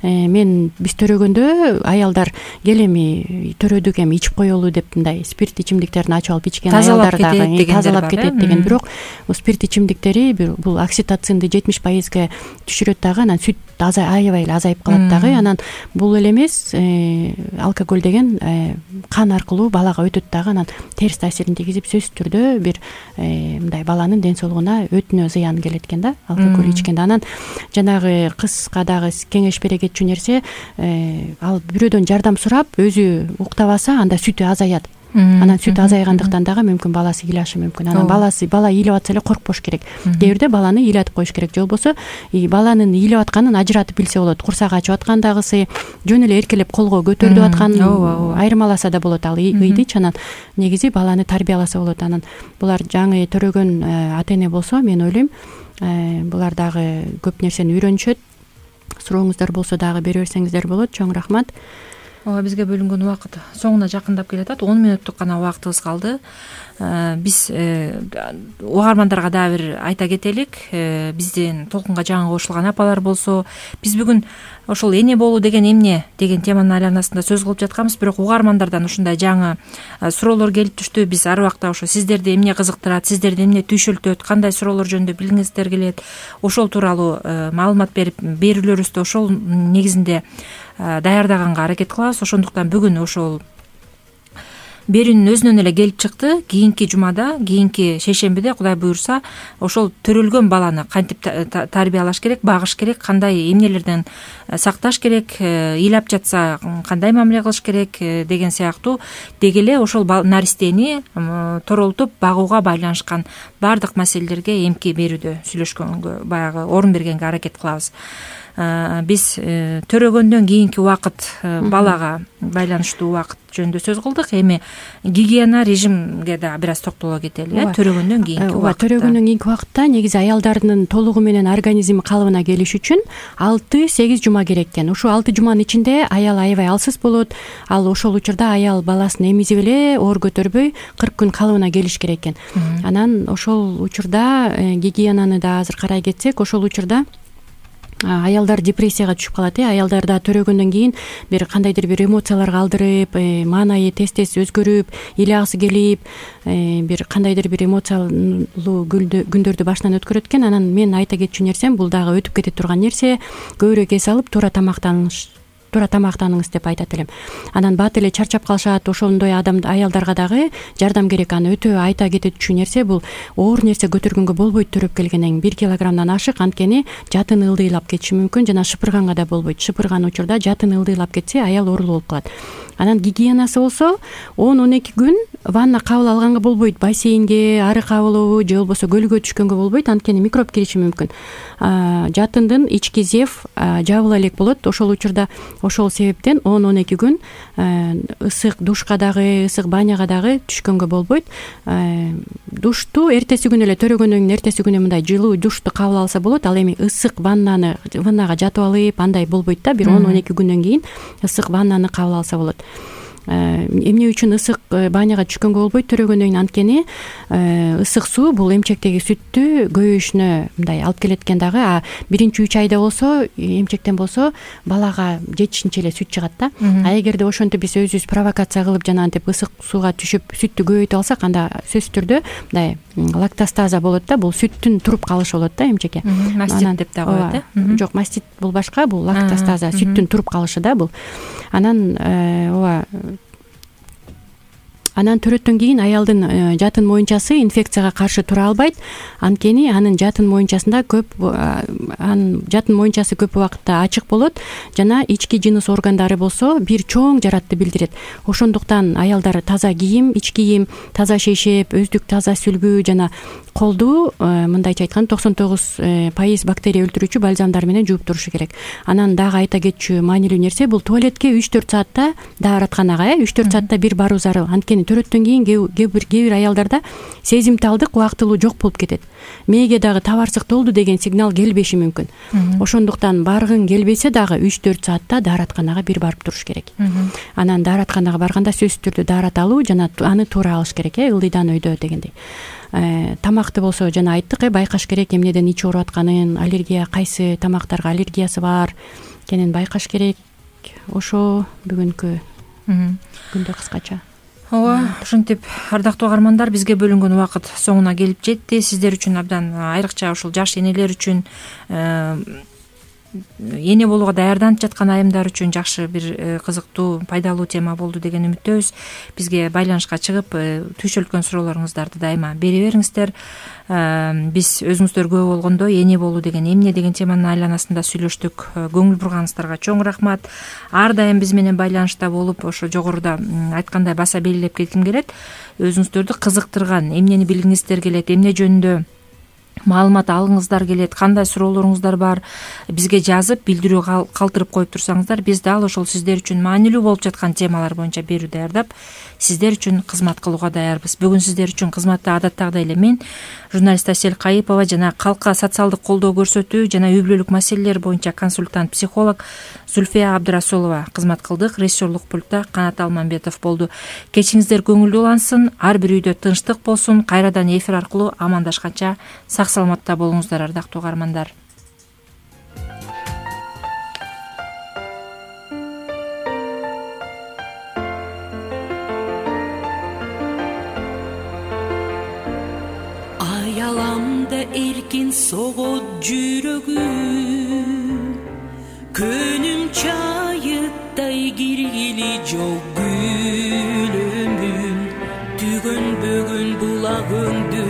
мен биз төрөгөндө аялдар кел эми төрөдүк, эми ичип коелу деп мындай спирт ичимдиктерин ачып алып ичкен аялдар дагы тазалап кетет деген. Бирок спирт ичимдиктери бул окситоцинди жетимиш пайызга түшүрөт дагы, анан сүт аябай эле азайып калат дагы. Анан бул эле эмес, алкоголь деген кан аркылуу балага өтөт дагы, анан терс таасирин тийгизип сөзсүз түрдө бир мындай баланын ден соолугуна өтүнө зыян келет экен да, алкоголь ичкенде. Анан жанагы кызга дагы кеңеш бере кетчү нерсе, ал бирөөдөн жардам сурап өзү уктабаса анда сүтү азаят. Анан сүт азайгандыктан дагы мүмкүн баласы ыйлашы мүмкүн. Анан баласы бала ыйлап атса эле коркпош керек. Кээ бирде баланы ыйлатып коюш керек, же болбосо баланын ыйлап атканын ажыратып билсе болот. Курсагы ачып аткандагысы, жөн эле эркелеп колго көтөрүп атканын айырмаласа да болот. Ал ыйдычы, анан негизи баланы тарбияласа болот. Анан булар жаңы төрөгөн ата эне болсо, мен ойлойм, булар дагы көп нерсени үйрөнүшөт. Сурооңуздар болсо дагы бере берсеңиздер болот. Чоң рахмат. Ооба, бизге бөлүнгөн убакыт соңуна жакындап келатат. он мүнөттүк гана убактыбыз калды. Биз угармандарга дагы бир айта кетелик. Бизден толкунга жаңы кошулган апалар болсо, биз бүгүн ошол эне болуу деген эмне деген теманын айланасында сөз кылып жатканбыз. Бирок угармандардан ушундай жаңы суроолор келип түштү. Биз ар убакта ошо сиздерди эмне кызыктырат, сиздерди эмне түйшөлтөт, кандай суроолор жөнүндө билгиңиздер келет, ошол тууралуу маалымат берип берүүлөрүбүздү ошол негизинде даярдаганга аракет кылабыз. Ошондуктан бүгүн ошол берүүнүн өзүнөн эле келип чыкты. Кийинки жумада, кийинки шейшембиде Кудай буюрса, ошол төрөлгөн баланы кантип тарбиялаш керек, багыш керек, кандай эмнелерден сакташ керек, ыйлап жатса кандай мамиле кылыш керек деген сыяктуу деги эле ошол наристени торолтуп багууга байланышкан баардык маселелерге эмки берүүдө сүйлөшкөнгө, баягы орун бергенге аракет кылабыз. Биз төрөгөндөн кийинки убакыт, балага байланыштуу убакыт жөнүндө сөз кылдык. Эми гигиена режимге да бир аз токтоло кетели. Э төрөгөндөн кийинки убакытта. Төрөгөндөн кийинки убакытта негизи аялдардын толугу менен организми калыбына келиш үчүн алты сегиз жума керек экен. Ушул алты жуманын ичинде аял аябай алсыз болот. Ал ошол учурда аял баласын эмизип эле оор көтөрбөй кырк күн калыбына келиш керек экен. Анан ошол учурда гигиенаны да азыр карай кетсек, ошол учурда аялдар депрессияга түшүп калат. Э аялдарда төрөгөндөн кийин бир кандайдыр бир эмоцияларга алдырып, маанайы тез-тез өзгөрүп, ыйлагысы келип, бир кандайдыр бир эмоциялуу күндөрдү башынан өткөрөт экен. Анан мен айта кетчү нерсем, бул дагы өтүп кете турган нерсе. Көбүрөөк эс алып, туура тамактаныш туура тамактаныңыз деп айтат элем. Анан бат эле чарчап калышат. Ошондой адам аялдарга дагы жардам керек. Аны өтө айта кетчү нерсе, бул оор нерсе көтөргөнгө болбойт. Төрөп келгенден бир килограммдан ашык, анткени жатын ылдыйлап кетиши мүмкүн, жана шыпырганга да болбойт. Шыпырган учурда жатын ылдыйлап кетсе, аял оорулуу болуп калат. Анан гигиенасы болсо он он эки күн ванна кабыл алганга болбойт. Бассейнге, арык абылуу же болбосо көлгө түшкөнгө болбойт, анткени микроб кириши мүмкүн. Жатындын ички зев жабыла элек болот. Ошол учурда ошол себептен он он эки күн ысык душка дагы, ысык баняга дагы түшкөнгө болбойт. Душту эртеси күнү эле, төрөгөндөн кийин эртеси күнү мындай жылуу душту кабыл алса болот. Ал эми ысык ваннаны ваннага жатып алып, андай болбойт да. Бир он он эки күндөн кийин ысык ваннаны кабыл алса болот. Эмне үчүн ысык баняга түшкөнгө болбойт төрөгөндөн кийин? Анткени ысык суу бул эмчектеги сүттү көбөйүшүнө мындай алып келет экен дагы. А биринчи үч айда болсо, эмчектен болсо, балага жетишинче эле сүт чыгат да. А эгерде ошентип биз өзүбүз провокация кылып жанагынтип ысык сууга түшүп сүттү көбөйтүп алсак, анда сөзсүз түрдө мындай лактостаза болот да. Бул сүттүн туруп калышы болот да эмчекке. Мастит деп да коет э. Жок, мастит бул башка, бул лактостаза, сүттүн туруп калышы да бул. Анан ооба анан төрөттөн кийин аялдын жатын моюнчасы инфекцияга каршы тура албайт. Анткени анын жатын моюнчасында көп анын жатын моюнчасы көп убакытта ачык болот жана ички жыныс органдары болсо бир чоң жаратты билдирет. Ошондуктан аялдар таза кийим, ич кийим, таза шейшеп, өздүк таза сүлгү жана колду мындайча айтканда токсон тогуз пайыз бактерия өлтүрүүчү бальзамдар менен жууп турушу керек. Анан дагы айта кетчү маанилүү нерсе бул туалетке үч төрт саатта дааратканага үч төрт саатта бир баруу зарыл. Анткени төрөттөн кийин кээ бир кээ бир аялдарда сезимталдык убактылуу жок болуп кетет. Мээге дагы табарсыктолду деген сигнал келбеши мүмкүн. Ошондуктан баргың келбесе дагы үч төрт саатта дааратканага бир барып туруш керек. Анан дааратканага барганда сөзсүз түрдө даараталуу жана аны туура алыш керек, э ылдыйдан өйдө дегендей. Тамакты болсо жана айттык, э байкаш керек эмнеден ичип ооруп атканын, аллергия кайсы тамактарга аллергиясы бар экенин байкаш керек. Ошо бүгүнкү күндө кыскача. Ооба, ушинтип ардактуу угармандар, бизге бөлүнгөн убакыт соңуна келип жетти. Сиздер үчүн абдан айрыкча ушул жаш энелер үчүн, эне болууга даярданып жаткан айымдар үчүн жакшы бир кызыктуу, пайдалуу тема болду деген үмүттөбүз. Бизге байланышка чыгып, түйшөлткөн суроолоруңуздарды дайыма бере бериңиздер. Биз өзүңүздөр күбө болгондо эне болуу деген эмне деген теманын айланасында сүйлөштүк. Көңүл бурганыңыздарга чоң рахмат. Ар дайым биз менен байланышта болуп, ошо жогоруда айткандай баса белгилеп кетким келет. Өзүңүздөрдү кызыктырган, эмнени билгиңиздер келет, эмне жөнүндө маалымат алгыңыздар келет, кандай суроолоруңуздар бар, бизге жазып билдирүү калтырып коюп турсаңыздар, биз дал ошол сиздер үчүн маанилүү болуп жаткан темалар боюнча берүү даярдап, сиздер үчүн кызмат кылууга даярбыз. Бүгүн сиздер үчүн кызматта адаттагыдай эле мен, журналист Асель Кайыпова жана калкка социалдык колдоо көрсөтүү жана үй бүлөлүк маселелер боюнча консультант психолог Зульфия Абдырасулова кызмат кылдык. Режиссерлук пультта Канат Алмамбетов болду. Кечиңиздер көңүлдүү улансын, ар бир үйдө тынчтык болсун. Кайрадан эфир аркылуу амандашканча сак саламатта болуңуздар, ардактуу угармандар. Ayalamda erkin soğut жүрөгүм, көнүм чайыттай киргили жок гүлүмүн, түгөн бөгүн булагыңды